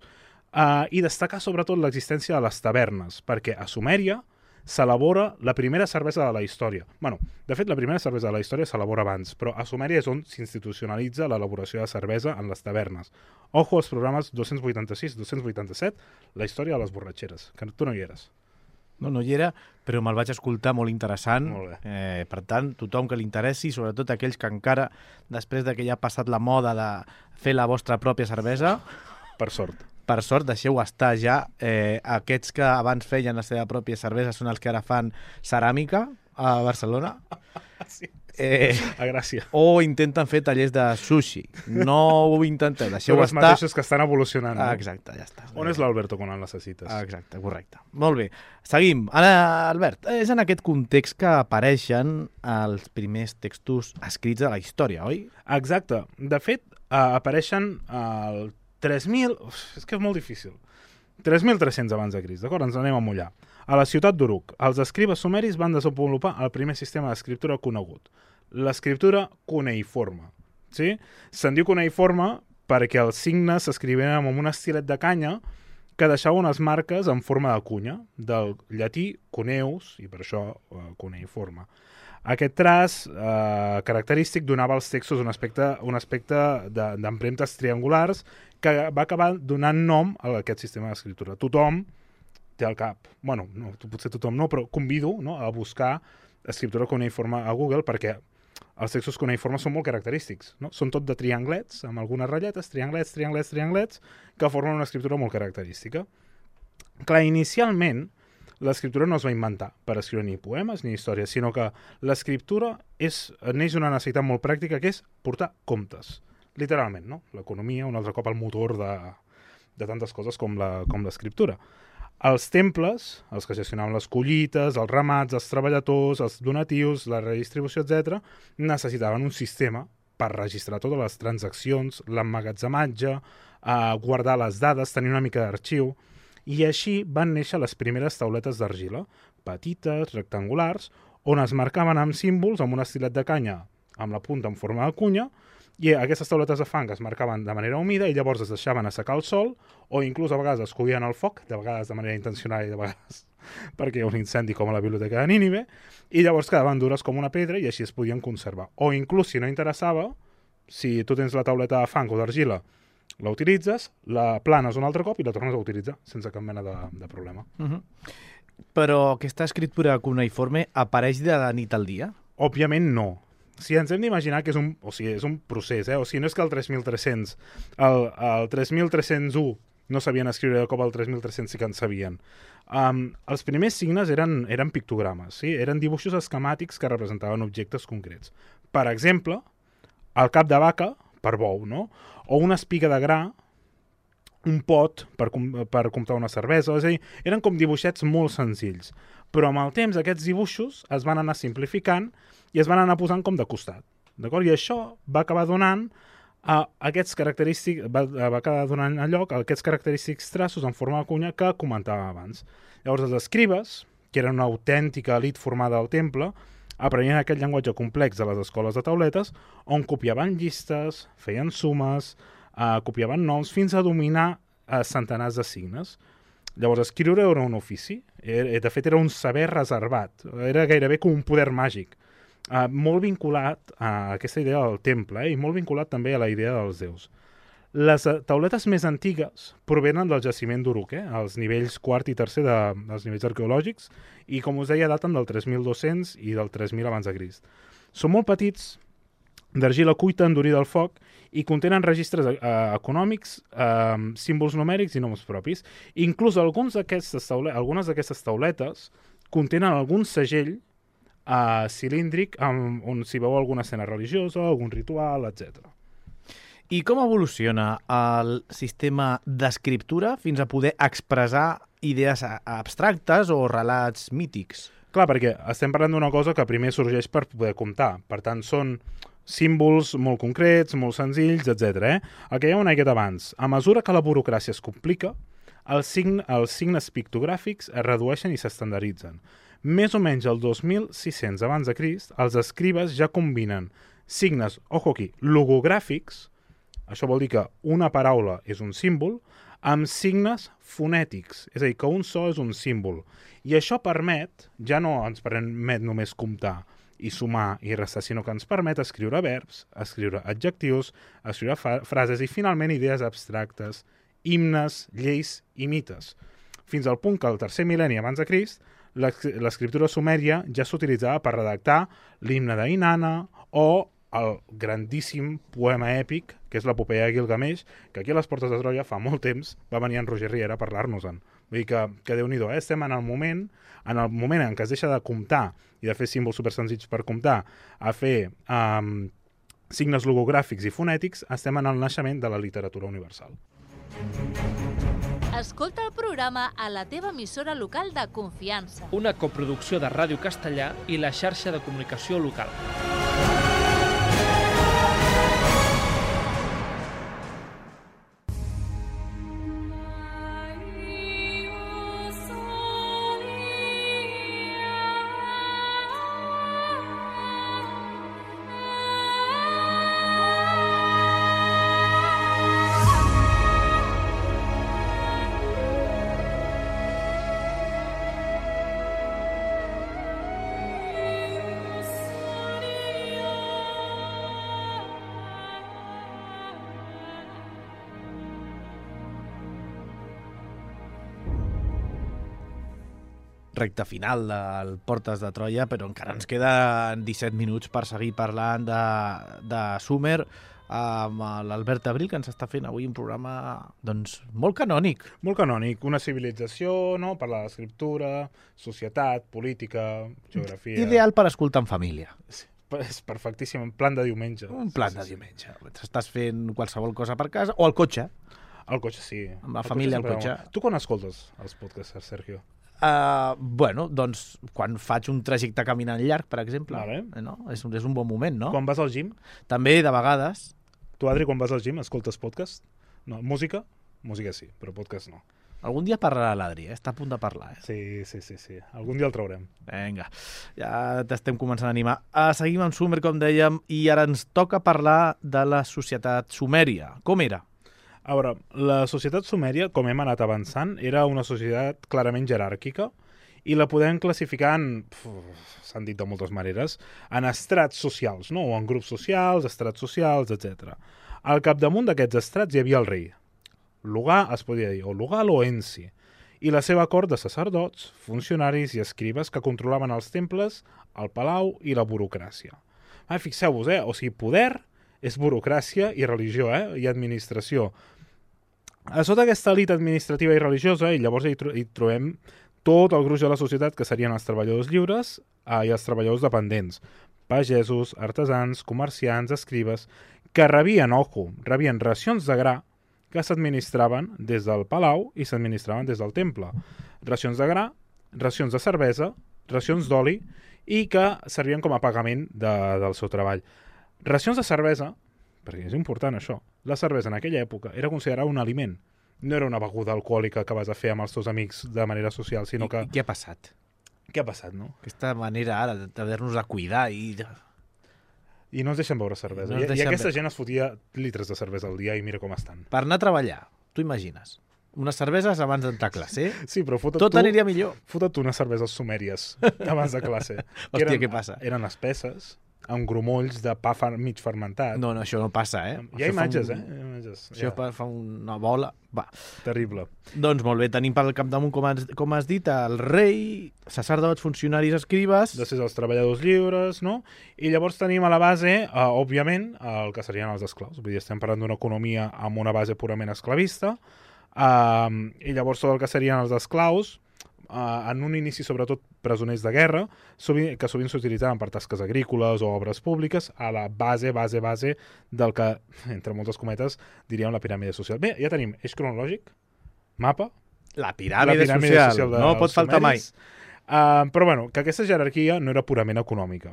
Speaker 4: eh, i destacar sobretot l'existència de les tavernes, perquè a Sumèria s'elabora la primera cervesa de la història. Bueno, de fet, la primera cervesa de la història s'elabora abans, però a Sumèria és on s'institucionalitza l'elaboració de cervesa en les tavernes. Ojo als programes dos-cents vuitanta-sis dos-cents vuitanta-set, la història de les borratxeres, que tu no hi eres.
Speaker 3: No, no hi era, però me'l vaig escoltar molt interessant.
Speaker 4: Molt bé.
Speaker 3: Eh, per tant, tothom que li interessi, sobretot aquells que encara, després de que ja ha passat la moda de fer la vostra pròpia cervesa...
Speaker 4: Per sort.
Speaker 3: Per sort, deixeu estar ja. Eh, aquests que abans feien la seva pròpia cervesa són els que ara fan ceràmica a Barcelona.
Speaker 4: Sí, sí.
Speaker 3: Eh,
Speaker 4: a Gràcia.
Speaker 3: O intenten fer tallers de sushi. No ho intenteu, deixeu
Speaker 4: Són els
Speaker 3: estar.
Speaker 4: mateixos que estan evolucionant. No?
Speaker 3: Ah, exacte, ja està.
Speaker 4: On és l'Alberto quan el necessites?
Speaker 3: Ah, exacte, correcte. Molt bé. Seguim. Ara, Albert, és en aquest context que apareixen els primers textos escrits de la història, oi?
Speaker 4: Exacte. De fet, uh, apareixen el tres mil... Uf, és que és molt difícil. tres mil tres-cents abans de Crist, d'acord? Ens anem a mullar. A la ciutat d'Uruk, els escribes sumeris van desenvolupar el primer sistema d'escriptura conegut, l'escriptura cuneiforme. Sí? Se'n diu cuneiforme perquè els signes s'escrivien amb un estilet de canya que deixava unes marques en forma de cunya, del llatí cuneus, i per això uh, cuneiforme. Aquest traç eh, característic donava als textos un aspecte, un aspecte d'empremtes triangulars que va acabar donant nom a aquest sistema d'escriptura. Tothom té al cap, bueno, no, potser tothom no, però convido no, a buscar escriptura cuneiforme a Google perquè els textos cuneiformes són molt característics. No? Són tot de trianglets, amb algunes ratlletes, trianglets, trianglets, trianglets, que formen una escriptura molt característica. Clar, inicialment, l'escriptura no es va inventar per escriure ni poemes ni històries, sinó que l'escriptura és, neix una necessitat molt pràctica que és portar comptes, literalment, no? L'economia, un altre cop el motor de, de tantes coses com l'escriptura. Els temples, els que gestionaven les collites, els ramats, els treballadors, els donatius, la redistribució, etcètera, necessitaven un sistema per registrar totes les transaccions, l'emmagatzematge, eh, guardar les dades, tenir una mica d'arxiu. I així van néixer les primeres tauletes d'argila, petites, rectangulars, on es marcaven amb símbols amb un estilet de canya amb la punta en forma de cunya, i aquestes tauletes de fang es marcaven de manera humida i llavors es deixaven assecar al sol, o inclús a vegades es coïen al foc, de vegades de manera intencional i de vegades perquè hi ha un incendi com a la biblioteca de Nínive, i llavors quedaven dures com una pedra i així es podien conservar. O inclús, si no interessava, si tu tens la tauleta de fang o d'argila, la utilitzes, la planes un altre cop i la tornes a utilitzar sense cap mena de, de problema.
Speaker 3: Uh-huh. Però aquesta escriptura cuneiforme apareix de la nit al dia?
Speaker 4: Òbviament no. Si ens hem d'imaginar que és un, o sigui, és un procés, eh? O sigui, no és que el tres mil tres-cents, el, el tres mil tres-cents u no sabien escriure de cop, el tres mil tres-cents sí que en sabien. Um, els primers signes eren, eren pictogrames, sí? Eren dibuixos esquemàtics que representaven objectes concrets. Per exemple, el cap de vaca, per bou, no? O una espiga de gra, un pot per, per comptar una cervesa, és a dir, eren com dibuixets molt senzills. Però amb el temps aquests dibuixos es van anar simplificant i es van anar posant com de costat. D'acord? I això va acabar donant a aquests característics, va, va acabar donant a lloc a aquests característics traços en forma de cunya que comentava abans. Llavors els escribes, que eren una autèntica elit formada al temple, aprenien aquest llenguatge complex de les escoles de tauletes, on copiaven llistes, feien sumes, eh, copiaven noms, fins a dominar eh, centenars de signes. Llavors, escriure era un ofici, era, de fet era un saber reservat, era gairebé com un poder màgic, eh, molt vinculat a aquesta idea del temple, eh, i molt vinculat també a la idea dels déus. Les tauletes més antigues provenen del jaciment d'Uruk, eh? Els nivells quart i tercer de, dels nivells arqueològics, i com us deia, daten del tres mil dos-cents i del tres mil abans de Crist. Són molt petits, d'argila cuita endurida al foc, i contenen registres eh, econòmics, eh, símbols numèrics i noms propis. Inclús alguns d'aquestes taule algunes d'aquestes tauletes contenen algun segell eh, cilíndric amb, on s'hi veu alguna escena religiosa, algun ritual, etcètera.
Speaker 3: I com evoluciona el sistema d'escriptura fins a poder expressar idees abstractes o relats mítics?
Speaker 4: Clar, perquè estem parlant d'una cosa que primer sorgeix per poder comptar. Per tant, són símbols molt concrets, molt senzills, etcètera. Eh? El que hi ha una miqueta abans. A mesura que la burocràcia es complica, els, sign els signes pictogràfics es redueixen i s'estandarditzen. Més o menys el dos mil sis-cents abans de Crist, els escribes ja combinen signes, ojo aquí, logogràfics, això vol dir que una paraula és un símbol, amb signes fonètics, és a dir, que un so és un símbol. I això permet, ja no ens permet només comptar i sumar i restar, sinó que ens permet escriure verbs, escriure adjectius, escriure frases i finalment idees abstractes, himnes, lleis i mites. Fins al punt que al tercer mil·lenni abans de Crist, l'escriptura sumèria ja s'utilitzava per redactar l'himne d'Inanna o el grandíssim poema èpic, que és l'epopeia de Gilgamesh, que aquí a les Portes de Troia fa molt temps va venir en Roger Riera a parlar-nos-en. Vull dir que, que Déu-n'hi-do, eh? Estem en el moment en el moment en què es deixa de comptar i de fer símbols supersenzills per comptar, a fer um, signes logogràfics i fonètics, estem en el naixement de la literatura universal.
Speaker 1: Escolta el programa a la teva emissora local de confiança.
Speaker 2: Una coproducció de Ràdio Castellà i la xarxa de comunicació local.
Speaker 3: Recte final del Portes de Troia, però encara ens queden disset minuts per seguir parlant de, de Sumer amb l'Albert Abril, que ens està fent avui un programa doncs, molt canònic.
Speaker 4: Molt canònic, una civilització, no? Parlar d'escriptura, societat, política, geografia...
Speaker 3: Ideal per escoltar en família.
Speaker 4: Sí, és perfectíssim, un plan de diumenge.
Speaker 3: Un plan sí, sí, de diumenge. Sí. Estàs fent qualsevol cosa per casa, o al cotxe.
Speaker 4: Al cotxe, sí.
Speaker 3: Amb la el família al cotxe.
Speaker 4: cotxe. Tu quan escoltes els podcasts, Sergio?
Speaker 3: Uh, bueno, doncs quan faig un trajecte caminant llarg, per exemple,
Speaker 4: vale.
Speaker 3: no? és, un, és un bon moment, no?
Speaker 4: Quan vas al gym?
Speaker 3: També, de vegades.
Speaker 4: Tu, Adri, quan vas al gym, escoltes podcast? No, música? Música sí, però podcast no.
Speaker 3: Algun dia parlarà l'Adri, eh? Està a punt de parlar. Eh?
Speaker 4: Sí, sí, sí, sí. Algun dia el traurem.
Speaker 3: Vinga, ja t'estem començant a animar. Uh, seguim amb Sumer, com dèiem, i ara ens toca parlar de la societat sumèria. Com era?
Speaker 4: A veure, la societat sumèria, com hem anat avançant, era una societat clarament jeràrquica i la podem classificar en, s'han dit de moltes maneres, en estrats socials, no? O en grups socials, estrats socials, etcètera. Al capdamunt d'aquests estrats hi havia el rei. Lugar, es podia dir, o Lugal o Ensi, i la seva cort de sacerdots, funcionaris i escribes que controlaven els temples, el palau i la burocràcia. Ah, fixeu-vos, eh? O sigui, poder és burocràcia i religió, eh? I administració. A sota aquesta elit administrativa i religiosa, i llavors hi, tro hi trobem tot el gruix de la societat, que serien els treballadors lliures eh, i els treballadors dependents, pagesos, artesans, comerciants, escribes, que rebien, ojo, rebien racions de gra que s'administraven des del palau i s'administraven des del temple. Racions de gra, racions de cervesa, racions d'oli i que servien com a pagament de, del seu treball. Racions de cervesa, perquè és important això, la cervesa en aquella època era considerada un aliment. No era una beguda alcohòlica que vas a fer amb els teus amics de manera social, sinó que...
Speaker 3: I què ha passat?
Speaker 4: Què ha passat, no?
Speaker 3: Aquesta manera ara d'haver-nos de cuidar i...
Speaker 4: I no ens deixen beure cervesa.
Speaker 3: No
Speaker 4: I, I aquesta
Speaker 3: be...
Speaker 4: gent es fotia litres de cervesa al dia i mira com estan.
Speaker 3: Per anar a treballar, tu imagines, unes cerveses abans d'entrar a classe.
Speaker 4: Sí, però fota't
Speaker 3: tot
Speaker 4: tu...
Speaker 3: aniria millor.
Speaker 4: Fota't tu unes cerveses sumèries abans de classe.
Speaker 3: Hòstia,
Speaker 4: eren,
Speaker 3: què passa?
Speaker 4: Eren espesses, amb grumolls de pa fer, mig fermentat.
Speaker 3: No, no, això no passa, eh?
Speaker 4: Hi ha
Speaker 3: això
Speaker 4: imatges,
Speaker 3: un...
Speaker 4: eh? personatges.
Speaker 3: Això
Speaker 4: Ja.
Speaker 3: fa una bola. Va.
Speaker 4: Terrible.
Speaker 3: Doncs molt bé, tenim pel capdamunt, com has, com has dit, el rei, sacerdots, funcionaris, escribes...
Speaker 4: Després els treballadors lliures, no? I llavors tenim a la base, eh, òbviament, el que serien els esclaus. Vull dir, estem parlant d'una economia amb una base purament esclavista. Eh, I llavors tot el que serien els esclaus, Uh, en un inici sobretot presoners de guerra, sovint, que sovint s'utilitzaven per tasques agrícoles o obres públiques, a la base, base, base del que, entre moltes cometes, diríem la piràmide social. Bé, ja tenim eix cronològic, mapa...
Speaker 3: La piràmide,
Speaker 4: la piràmide
Speaker 3: social,
Speaker 4: social de,
Speaker 3: no pot faltar mai.
Speaker 4: Uh, però bueno, que aquesta jerarquia no era purament econòmica,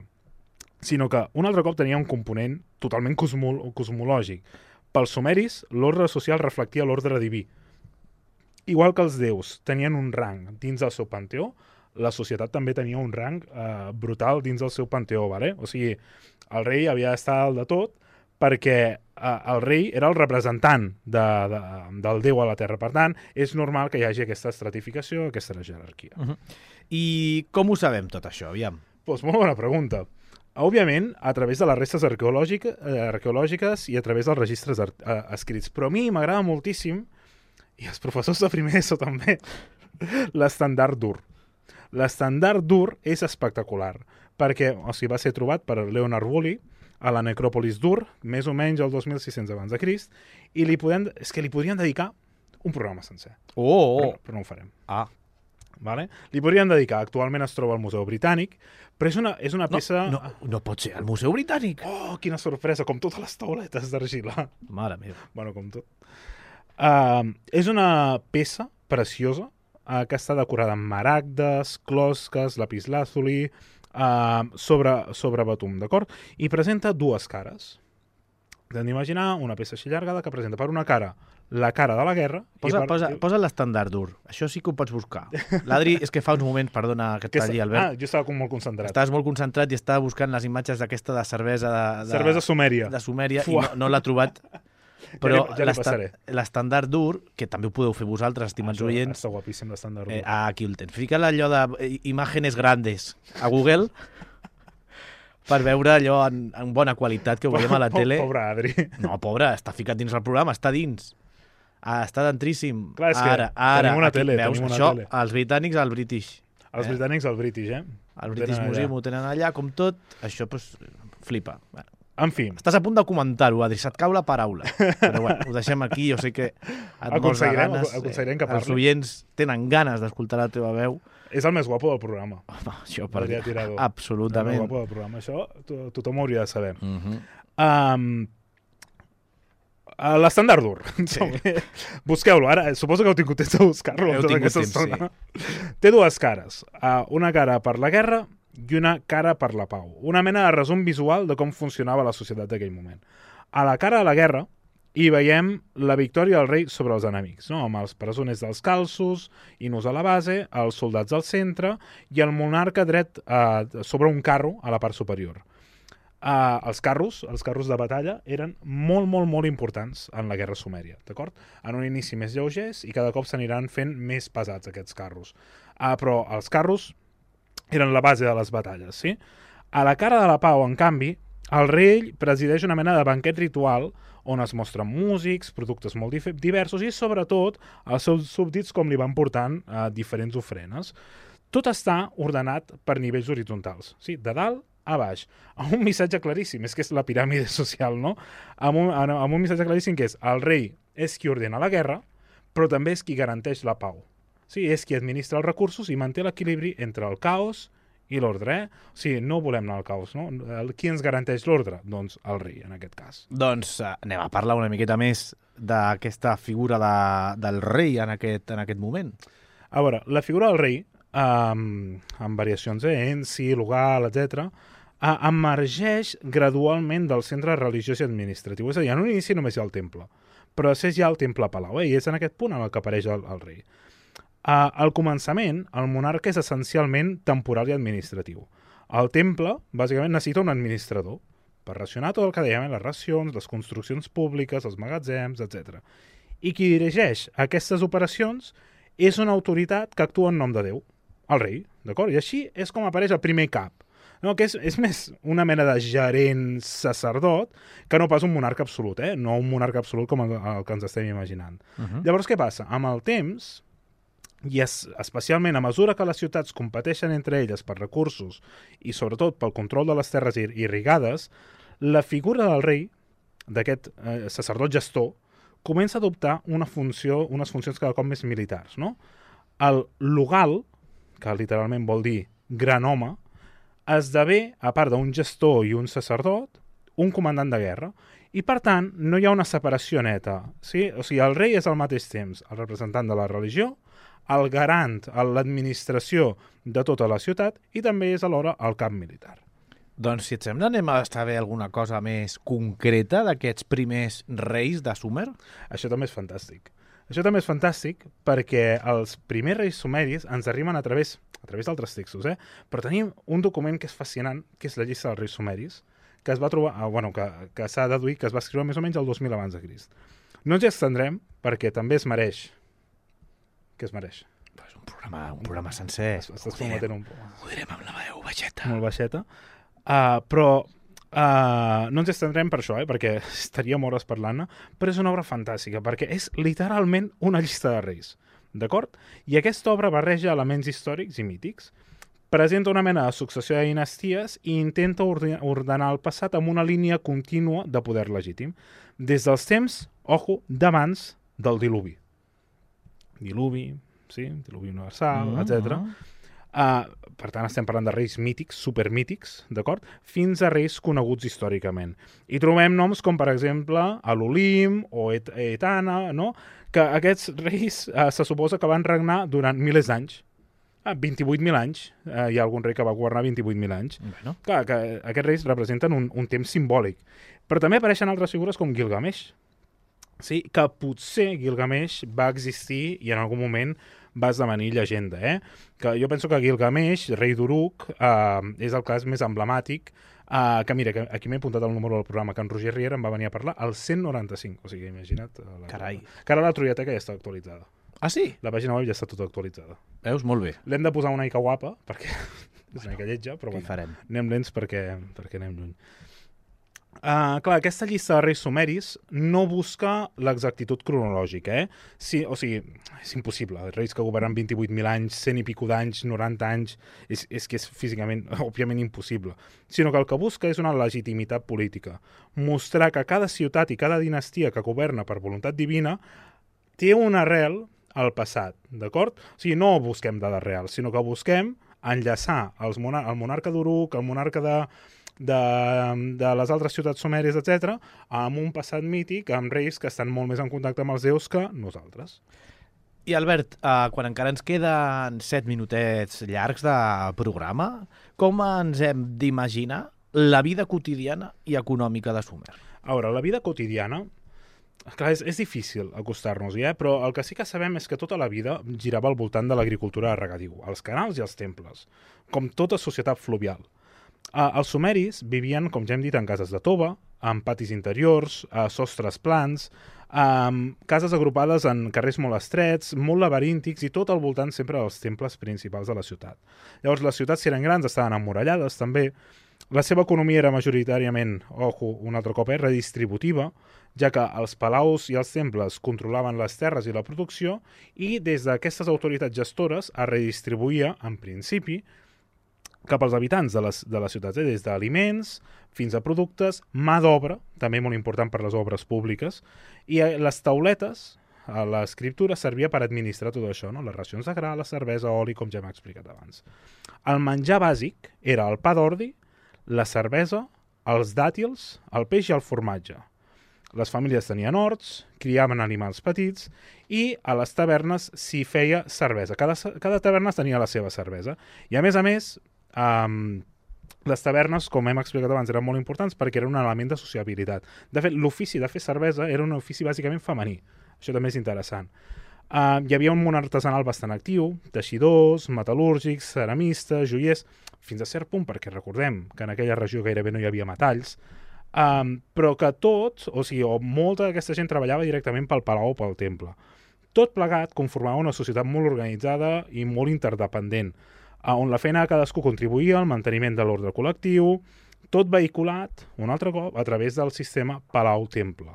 Speaker 4: sinó que un altre cop tenia un component totalment cosmol cosmològic. Pels sumeris, l'ordre social reflectia l'ordre diví. Igual que els déus tenien un rang dins del seu panteó, la societat també tenia un rang eh, brutal dins del seu panteó. Vale? O sigui, el rei havia d'estar al de tot perquè eh, el rei era el representant de, de, del déu a la terra. Per tant, és normal que hi hagi aquesta estratificació, aquesta jerarquia.
Speaker 3: Uh -huh. I com ho sabem tot això, aviam?
Speaker 4: Pues molt bona pregunta. Òbviament, a través de les restes arqueològiques, eh, arqueològiques i a través dels registres eh, escrits. Però a mi m'agrada moltíssim, i els professors de primer ESO també, l'estandard d'Ur. L'estandard d'Ur és espectacular, perquè o sigui, va ser trobat per Leonard Woolley a la necròpolis d'Ur, més o menys el dos mil sis-cents abans de Crist, i li podem, és que li podrien dedicar un programa sencer.
Speaker 3: Oh, oh.
Speaker 4: Però, però no ho farem.
Speaker 3: Ah.
Speaker 4: Vale? Li podrien dedicar, actualment es troba al Museu Britànic, però és una, és una peça...
Speaker 3: No, no, no pot ser, al Museu Britànic.
Speaker 4: Oh, quina sorpresa, com totes les tauletes d'argila.
Speaker 3: Mare meva.
Speaker 4: Bueno, com tot. Uh, és una peça preciosa uh, que està decorada amb maragdes, closques, lapislàzuli, uh, sobre, sobre betum, d'acord? I presenta dues cares. Hem d'imaginar una peça així llargada que presenta per una cara la cara de la guerra...
Speaker 3: Posa,
Speaker 4: i per...
Speaker 3: posa, posa l'estandard d'Ur. Això sí que ho pots buscar. L'Adri, és que fa uns moments, perdona que et talli, Albert.
Speaker 4: Ah, jo estava com molt concentrat.
Speaker 3: Estaves molt concentrat i estava buscant les imatges d'aquesta de cervesa de, de,
Speaker 4: cervesa sumèria.
Speaker 3: De Sumèria
Speaker 4: Fuà.
Speaker 3: i no, no l'ha trobat. Però
Speaker 4: ja li, ja li
Speaker 3: l'estandard d'Ur, que també ho podeu fer vosaltres, estimats
Speaker 4: ah,
Speaker 3: oients...
Speaker 4: Està guapíssim l'estandard d'Ur.
Speaker 3: Eh, aquí el tens. Fica allò de imágenes grandes a Google per veure allò en, en bona qualitat que ho veiem a la tele.
Speaker 4: Pobre Adri.
Speaker 3: No, pobre, està ficat dins el programa, està dins. Ah, està dentríssim.
Speaker 4: Clar, és que
Speaker 3: ara, ara,
Speaker 4: tenim una
Speaker 3: aquí,
Speaker 4: tele,
Speaker 3: veus,
Speaker 4: tenim una
Speaker 3: això,
Speaker 4: tele.
Speaker 3: Els britànics, el British.
Speaker 4: Els
Speaker 3: eh?
Speaker 4: britànics, el British, eh?
Speaker 3: El British Museum ho tenen allà, com tot. Això, doncs, flipa. Bueno.
Speaker 4: En fi.
Speaker 3: Estàs a punt de comentar-ho, Adri, se't cau la paraula. Però bueno, ho deixem aquí, jo sé que et mors de ganes.
Speaker 4: Aconseguirem que parli.
Speaker 3: Els oients tenen ganes d'escoltar la teva veu.
Speaker 4: És el més guapo del programa.
Speaker 3: Home, això per dir.
Speaker 4: Tirador.
Speaker 3: Absolutament.
Speaker 4: El més guapo del programa. Això to tothom ho hauria de saber.
Speaker 3: Uh -huh.
Speaker 4: um, L'estandard d'Ur. Sí. Busqueu-lo. Ara, suposo que heu tingut temps de buscar-lo.
Speaker 3: Heu tingut temps, sí.
Speaker 4: Té dues cares. Uh, una cara per la guerra i una cara per la pau. Una mena de resum visual de com funcionava la societat d'aquell moment. A la cara de la guerra hi veiem la victòria del rei sobre els enemics, no? Amb els presoners dels calços, Inus a la base, els soldats al centre i el monarca dret uh, sobre un carro a la part superior. Uh, els carros, els carros de batalla, eren molt, molt, molt importants en la guerra sumèria, d'acord? En un inici més lleugers i cada cop s'aniran fent més pesats aquests carros. Uh, però els carros eren la base de les batalles, sí? A la cara de la pau, en canvi, el rei presideix una mena de banquet ritual on es mostren músics, productes molt diversos i, sobretot, els seus súbdits com li van portant uh, diferents ofrenes. Tot està ordenat per nivells horitzontals, sí? De dalt a baix, amb un missatge claríssim, és que és la piràmide social, no? Amb un, amb un missatge claríssim que és el rei és qui ordena la guerra, però també és qui garanteix la pau. Sí, és qui administra els recursos i manté l'equilibri entre el caos i l'ordre, eh? O sigui, no volem anar al caos, no? Qui ens garanteix l'ordre? Doncs el rei, en aquest cas.
Speaker 3: Doncs uh, anem a parlar una miqueta més d'aquesta figura de, del rei en aquest, en aquest moment.
Speaker 4: A veure, la figura del rei, um, amb variacions, eh? Ensi, Lugal, etcètera, uh, emergeix gradualment del centre religiós i administratiu. És a dir, en un inici només hi ha el temple, però després hi ha el temple palau, eh? I és en aquest punt en el que apareix el, el rei. Uh, al començament, el monarca és essencialment temporal i administratiu. El temple, bàsicament, necessita un administrador per racionar tot el que dèiem, les racions, les construccions públiques, els magatzems, etcètera. I qui dirigeix aquestes operacions és una autoritat que actua en nom de Déu, el rei, d'acord? I així és com apareix el primer cap. No, que és, és més una mena de gerent sacerdot que no pas un monarca absolut, eh? No un monarca absolut com el, el que ens estem imaginant.
Speaker 3: Uh -huh.
Speaker 4: Llavors, què passa? Amb el temps, i es, especialment a mesura que les ciutats competeixen entre elles per recursos i sobretot pel control de les terres ir irrigades, la figura del rei, d'aquest eh, sacerdot gestor, comença a adoptar una funció, unes funcions cada cop més militars, no? El lugal, que literalment vol dir gran home, esdevé, a part d'un gestor i un sacerdot, un comandant de guerra. I, per tant, no hi ha una separació neta. Sí? O sigui, el rei és al mateix temps el representant de la religió, el garant, l'administració de tota la ciutat i també és alhora el cap militar.
Speaker 3: Doncs, si et sembla, anem a saber alguna cosa més concreta d'aquests primers reis de Sumer?
Speaker 4: Això també és fantàstic. Això també és fantàstic perquè els primers reis sumeris ens arriben a través, a través d'altres textos, eh? Però tenim un document que és fascinant, que és la llista dels reis sumeris, que es va trobar, ah, bueno, que, que s'ha deduït que es va escriure més o menys el dos mil abans de Crist. No ens hi estendrem perquè també es mereix. Què es mereix?
Speaker 3: Pues un programa, un programa sencer.
Speaker 4: Estàs prometent un poc.
Speaker 3: Ho direm amb la veu baixeta.
Speaker 4: Molt baixeta. Uh, però uh, no ens estendrem per això, eh, perquè estaríem hores parlant-ne, però és una obra fantàstica, perquè és literalment una llista de reis, d'acord? I aquesta obra barreja elements històrics i mítics, presenta una mena de successió de dinasties i intenta ordenar el passat amb una línia contínua de poder legítim, des dels temps, ojo, d'abans del diluvi. Diluvi, sí, diluvi universal,
Speaker 3: Mm-hmm.
Speaker 4: etcètera. Uh, per tant, estem parlant de reis mítics, supermítics, d'acord? Fins a reis coneguts històricament. I trobem noms com, per exemple, l'Olim o Et Etana, no? Que aquests reis uh, se suposa que van regnar durant milers d'anys. Ah, vint-i-vuit mil anys. Uh, hi ha algun rei que va governar vint-i-vuit mil anys.
Speaker 3: Bueno.
Speaker 4: Clar, que aquests reis representen un, un temps simbòlic. Però també apareixen altres figures com Gilgamesh. Sí, que potser Gilgamesh va existir i en algun moment va esdevenir llegenda, eh? Que jo penso que Gilgamesh, rei d'Uruk, eh, és el cas més emblemàtic, eh, que mira, que aquí m'he apuntat el número del programa, que en Roger Riera em va venir a parlar, el cent noranta-cinc, o sigui, imagina't. La...
Speaker 3: Carai.
Speaker 4: Que ara la Troiateca ja està actualitzada.
Speaker 3: Ah, sí?
Speaker 4: La pàgina web ja està tota actualitzada.
Speaker 3: Veus? Molt bé.
Speaker 4: L'hem de posar una mica guapa, perquè és una mica lletja, però
Speaker 3: Què hi
Speaker 4: bueno,
Speaker 3: farem?
Speaker 4: anem lents perquè, perquè anem lluny. Uh, clar, aquesta llista de reis sumeris no busca l'exactitud cronològica, eh? Sí, o sigui, és impossible. Reis que governen vint-i-vuit mil anys, cent i pico d'anys, noranta anys, és, és que és físicament, òbviament, impossible. Sinó que el que busca és una legitimitat política. Mostrar que cada ciutat i cada dinastia que governa per voluntat divina té una arrel al passat, d'acord? O sigui, no busquem dades reals, sinó que busquem enllaçar els monar el monarca d'Uruk, el monarca de... De, de les altres ciutats sumèries, etcètera, amb un passat mític, amb reis que estan molt més en contacte amb els déus que nosaltres.
Speaker 3: I Albert, eh, quan encara ens queden set minutets llargs de programa, com ens hem d'imaginar la vida quotidiana i econòmica de Sumer?
Speaker 4: A veure, la vida quotidiana, clar, és, és difícil acostar-nos-hi, eh? Però el que sí que sabem és que tota la vida girava al voltant de l'agricultura de regadiu, els canals i els temples, com tota societat fluvial. Uh, els sumeris vivien, com ja hem dit, en cases de tova, amb patis interiors, uh, sostres plans, um, cases agrupades en carrers molt estrets, molt laberíntics i tot al voltant sempre dels temples principals de la ciutat. Llavors, les ciutats, si eren grans, estaven emmurallades també. La seva economia era majoritàriament, ojo, un altre cop, eh, redistributiva, ja que els palaus i els temples controlaven les terres i la producció i des d'aquestes autoritats gestores es redistribuïa, en principi, cap als habitants de les, de les ciutats, eh? Des d'aliments fins a productes, mà d'obra, també molt important per les obres públiques, i les tauletes, l'escriptura servia per administrar tot això, no? Les racions de gra, la cervesa, oli, com ja hem explicat abans. El menjar bàsic era el pa d'ordi, la cervesa, els dàtils, el peix i el formatge. Les famílies tenien horts, criaven animals petits i a les tavernes s'hi feia cervesa. Cada, cada taverna tenia la seva cervesa. I a més a més, Um, les tavernes, com hem explicat abans, eren molt importants perquè era un element de sociabilitat. De fet, l'ofici de fer cervesa era un ofici bàsicament femení. Això també és interessant. Uh, hi havia un món artesanal bastant actiu, teixidors, metal·lúrgics, ceramistes, joiers, fins a cert punt, perquè recordem que en aquella regió gairebé no hi havia metalls, um, però que tots, o sigui, o molta d'aquesta gent treballava directament pel palau o pel temple. Tot plegat conformava una societat molt organitzada i molt interdependent. on la feina de cadascú contribuïa al manteniment de l'ordre col·lectiu, tot vehiculat, un altre cop, a través del sistema Palau-Temple.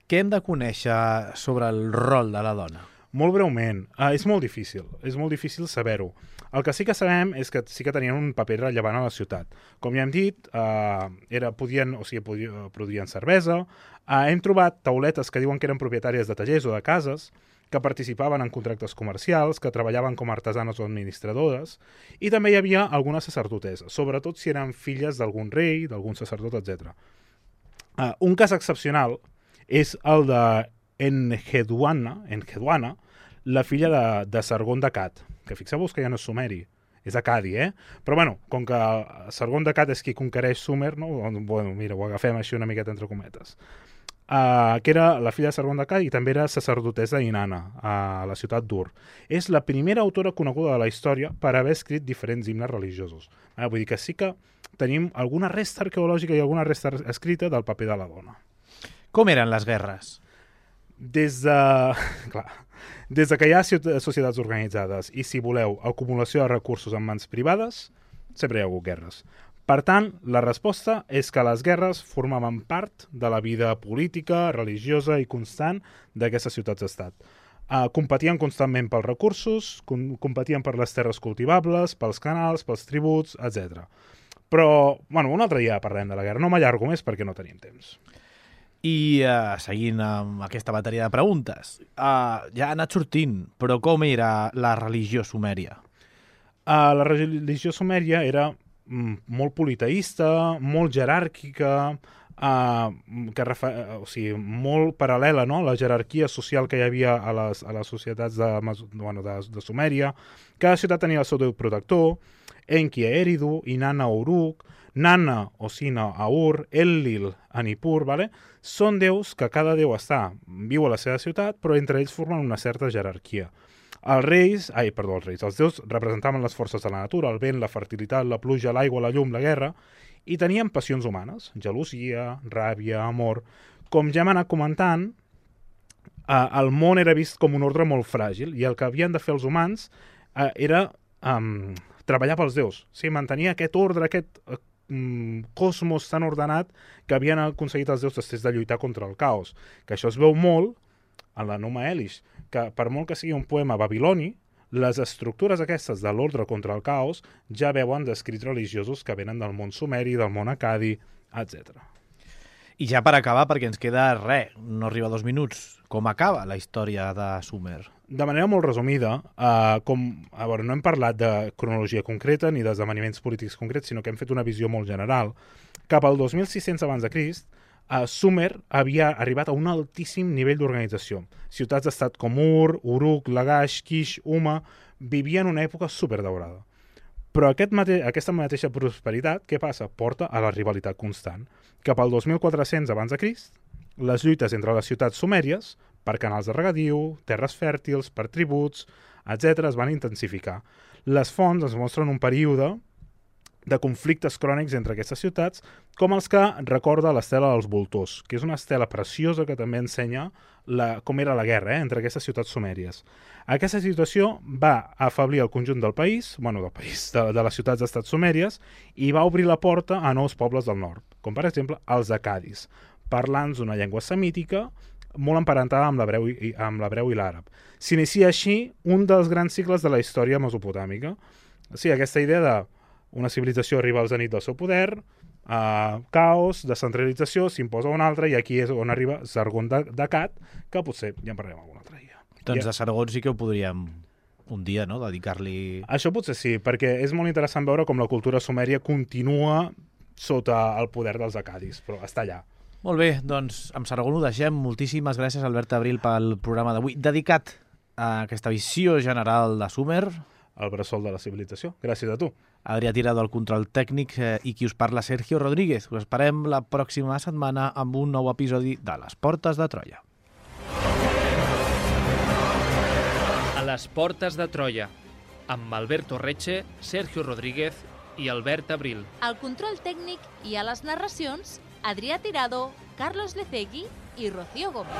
Speaker 3: Què hem de conèixer sobre el rol de la dona?
Speaker 4: Molt breument, uh, és molt difícil, és molt difícil saber-ho. El que sí que sabem és que sí que tenien un paper rellevant a la ciutat. Com ja hem dit, uh, era, podien, o sigui, podien, produïen cervesa, uh, hem trobat tauletes que diuen que eren propietàries de tallers o de cases, que participaven en contractes comercials, que treballaven com a artesanes o administradores, i també hi havia algunes sacerdoteses, sobretot si eren filles d'algun rei, d'algun sacerdot, etcètera. Uh, un cas excepcional és el de Enheduanna, Enheduanna, la filla de, de Sargon d'Accad, que fixeu-vos que ja no és sumeri, és acadi, eh? Però bueno, com que Sargon d'Accad és qui conquereix Sumer, no? Bueno, mira, ho agafem així una miqueta entre cometes. Uh, que era la filla de Sargon d'Accad i també era sacerdotessa d'Inanna, a la ciutat d'Ur. És la primera autora coneguda de la història per haver escrit diferents himnes religiosos. Uh, vull dir que sí que tenim alguna resta arqueològica i alguna resta escrita del paper de la dona.
Speaker 3: Com eren les guerres?
Speaker 4: Des de, clar, des de que hi ha societats organitzades i, si voleu, acumulació de recursos en mans privades, sempre hi ha hagut guerres. Per tant, la resposta és que les guerres formaven part de la vida política, religiosa i constant d'aquestes ciutats-estat. Uh, competien constantment pels recursos, com, competien per les terres cultivables, pels canals, pels tributs, etcètera. Però, bueno, un altre dia parlem de la guerra. No m'allargo més perquè no tenim temps.
Speaker 3: I uh, seguint amb aquesta bateria de preguntes, uh, ja ha anat sortint, però com era la religió sumèria?
Speaker 4: Uh, la religió sumèria era molt politeïsta, molt jeràrquica, uh, que refa... o sigui, molt paral·lela, no?, la jerarquia social que hi havia a les, a les societats de, bueno, de, de Sumèria. Cada ciutat tenia el seu déu protector, Enki a Eridu, Inanna a Uruk, Nanna o Sina a Ur, Enlil a Nippur, vale? Són déus que cada déu està, viu a la seva ciutat, però entre ells formen una certa jerarquia. Els reis, ai, perdó, els reis, els déus representaven les forces de la natura, el vent, la fertilitat, la pluja, l'aigua, la llum, la guerra, i tenien passions humanes, gelosia, ràbia, amor. Com ja hem anat comentant, eh, el món era vist com un ordre molt fràgil, i el que havien de fer els humans eh, era eh, treballar pels déus, sí, mantenir aquest ordre, aquest eh, cosmos tan ordenat que havien aconseguit els déus després de lluitar contra el caos, que això es veu molt en la Numa Elish, que per molt que sigui un poema babiloni, les estructures aquestes de l'ordre contra el caos ja veuen d'escrits religiosos que venen del món sumeri, del món acadi, etcètera.
Speaker 3: I ja per acabar, perquè ens queda res, no arriba a dos minuts, com acaba la història de Sumer?
Speaker 4: De manera molt resumida, eh, com, a veure, no hem parlat de cronologia concreta ni d'esdeveniments polítics concrets, sinó que hem fet una visió molt general. Cap al dos mil sis-cents abans de Crist, Uh, Sumer havia arribat a un altíssim nivell d'organització. Ciutats-estat com Ur, Uruk, Lagash, Kish, Uma vivien una època superdaurada. Però aquest mate aquesta mateixa prosperitat, què passa? Porta a la rivalitat constant. Cap al dos mil quatre-cents abans de Crist, les lluites entre les ciutats sumèries, per canals de regadiu, terres fèrtils, per tributs, etcètera, es van intensificar. Les fonts ens mostren un període de conflictes crònics entre aquestes ciutats, com els que recorda l'estela dels voltors, que és una estela preciosa que també ensenya la, com era la guerra eh, entre aquestes ciutats sumèries. Aquesta situació va afeblir el conjunt del país, bueno, del país, de, de les ciutats d'estat sumèries, i va obrir la porta a nous pobles del nord, com per exemple els acadis, parlants d'una llengua semítica molt emparentada amb l'hebreu i, amb l'hebreu i l'àrab. S'inicia així un dels grans cicles de la història mesopotàmica. O sigui, aquesta idea de una civilització arriba al zenit del seu poder, uh, caos, descentralització, s'imposa una altra, i aquí és on arriba Sargon d'Accad, que potser ja en parlarem algun altre dia.
Speaker 3: Doncs
Speaker 4: ja.
Speaker 3: de Sargon sí que ho podríem un dia, no?, dedicar-li...
Speaker 4: Això potser sí, perquè és molt interessant veure com la cultura sumèria continua sota el poder dels acadis, però està allà.
Speaker 3: Molt bé, doncs amb Sargon ho deixem. Moltíssimes gràcies, Albert Abril, pel programa d'avui, dedicat a aquesta visió general de Sumer.
Speaker 4: El bressol de la civilització. Gràcies a tu.
Speaker 3: Adrià Tirado, el control tècnic, eh, i qui us parla, Sergio Rodríguez. Us esperem la pròxima setmana amb un nou episodi de Les Portes de Troia.
Speaker 2: A les Portes de Troia, amb Alberto Reche, Sergio Rodríguez i Albert Abril.
Speaker 1: Al control tècnic i a les narracions, Adrià Tirado, Carlos Lecegui i Rocío Gómez.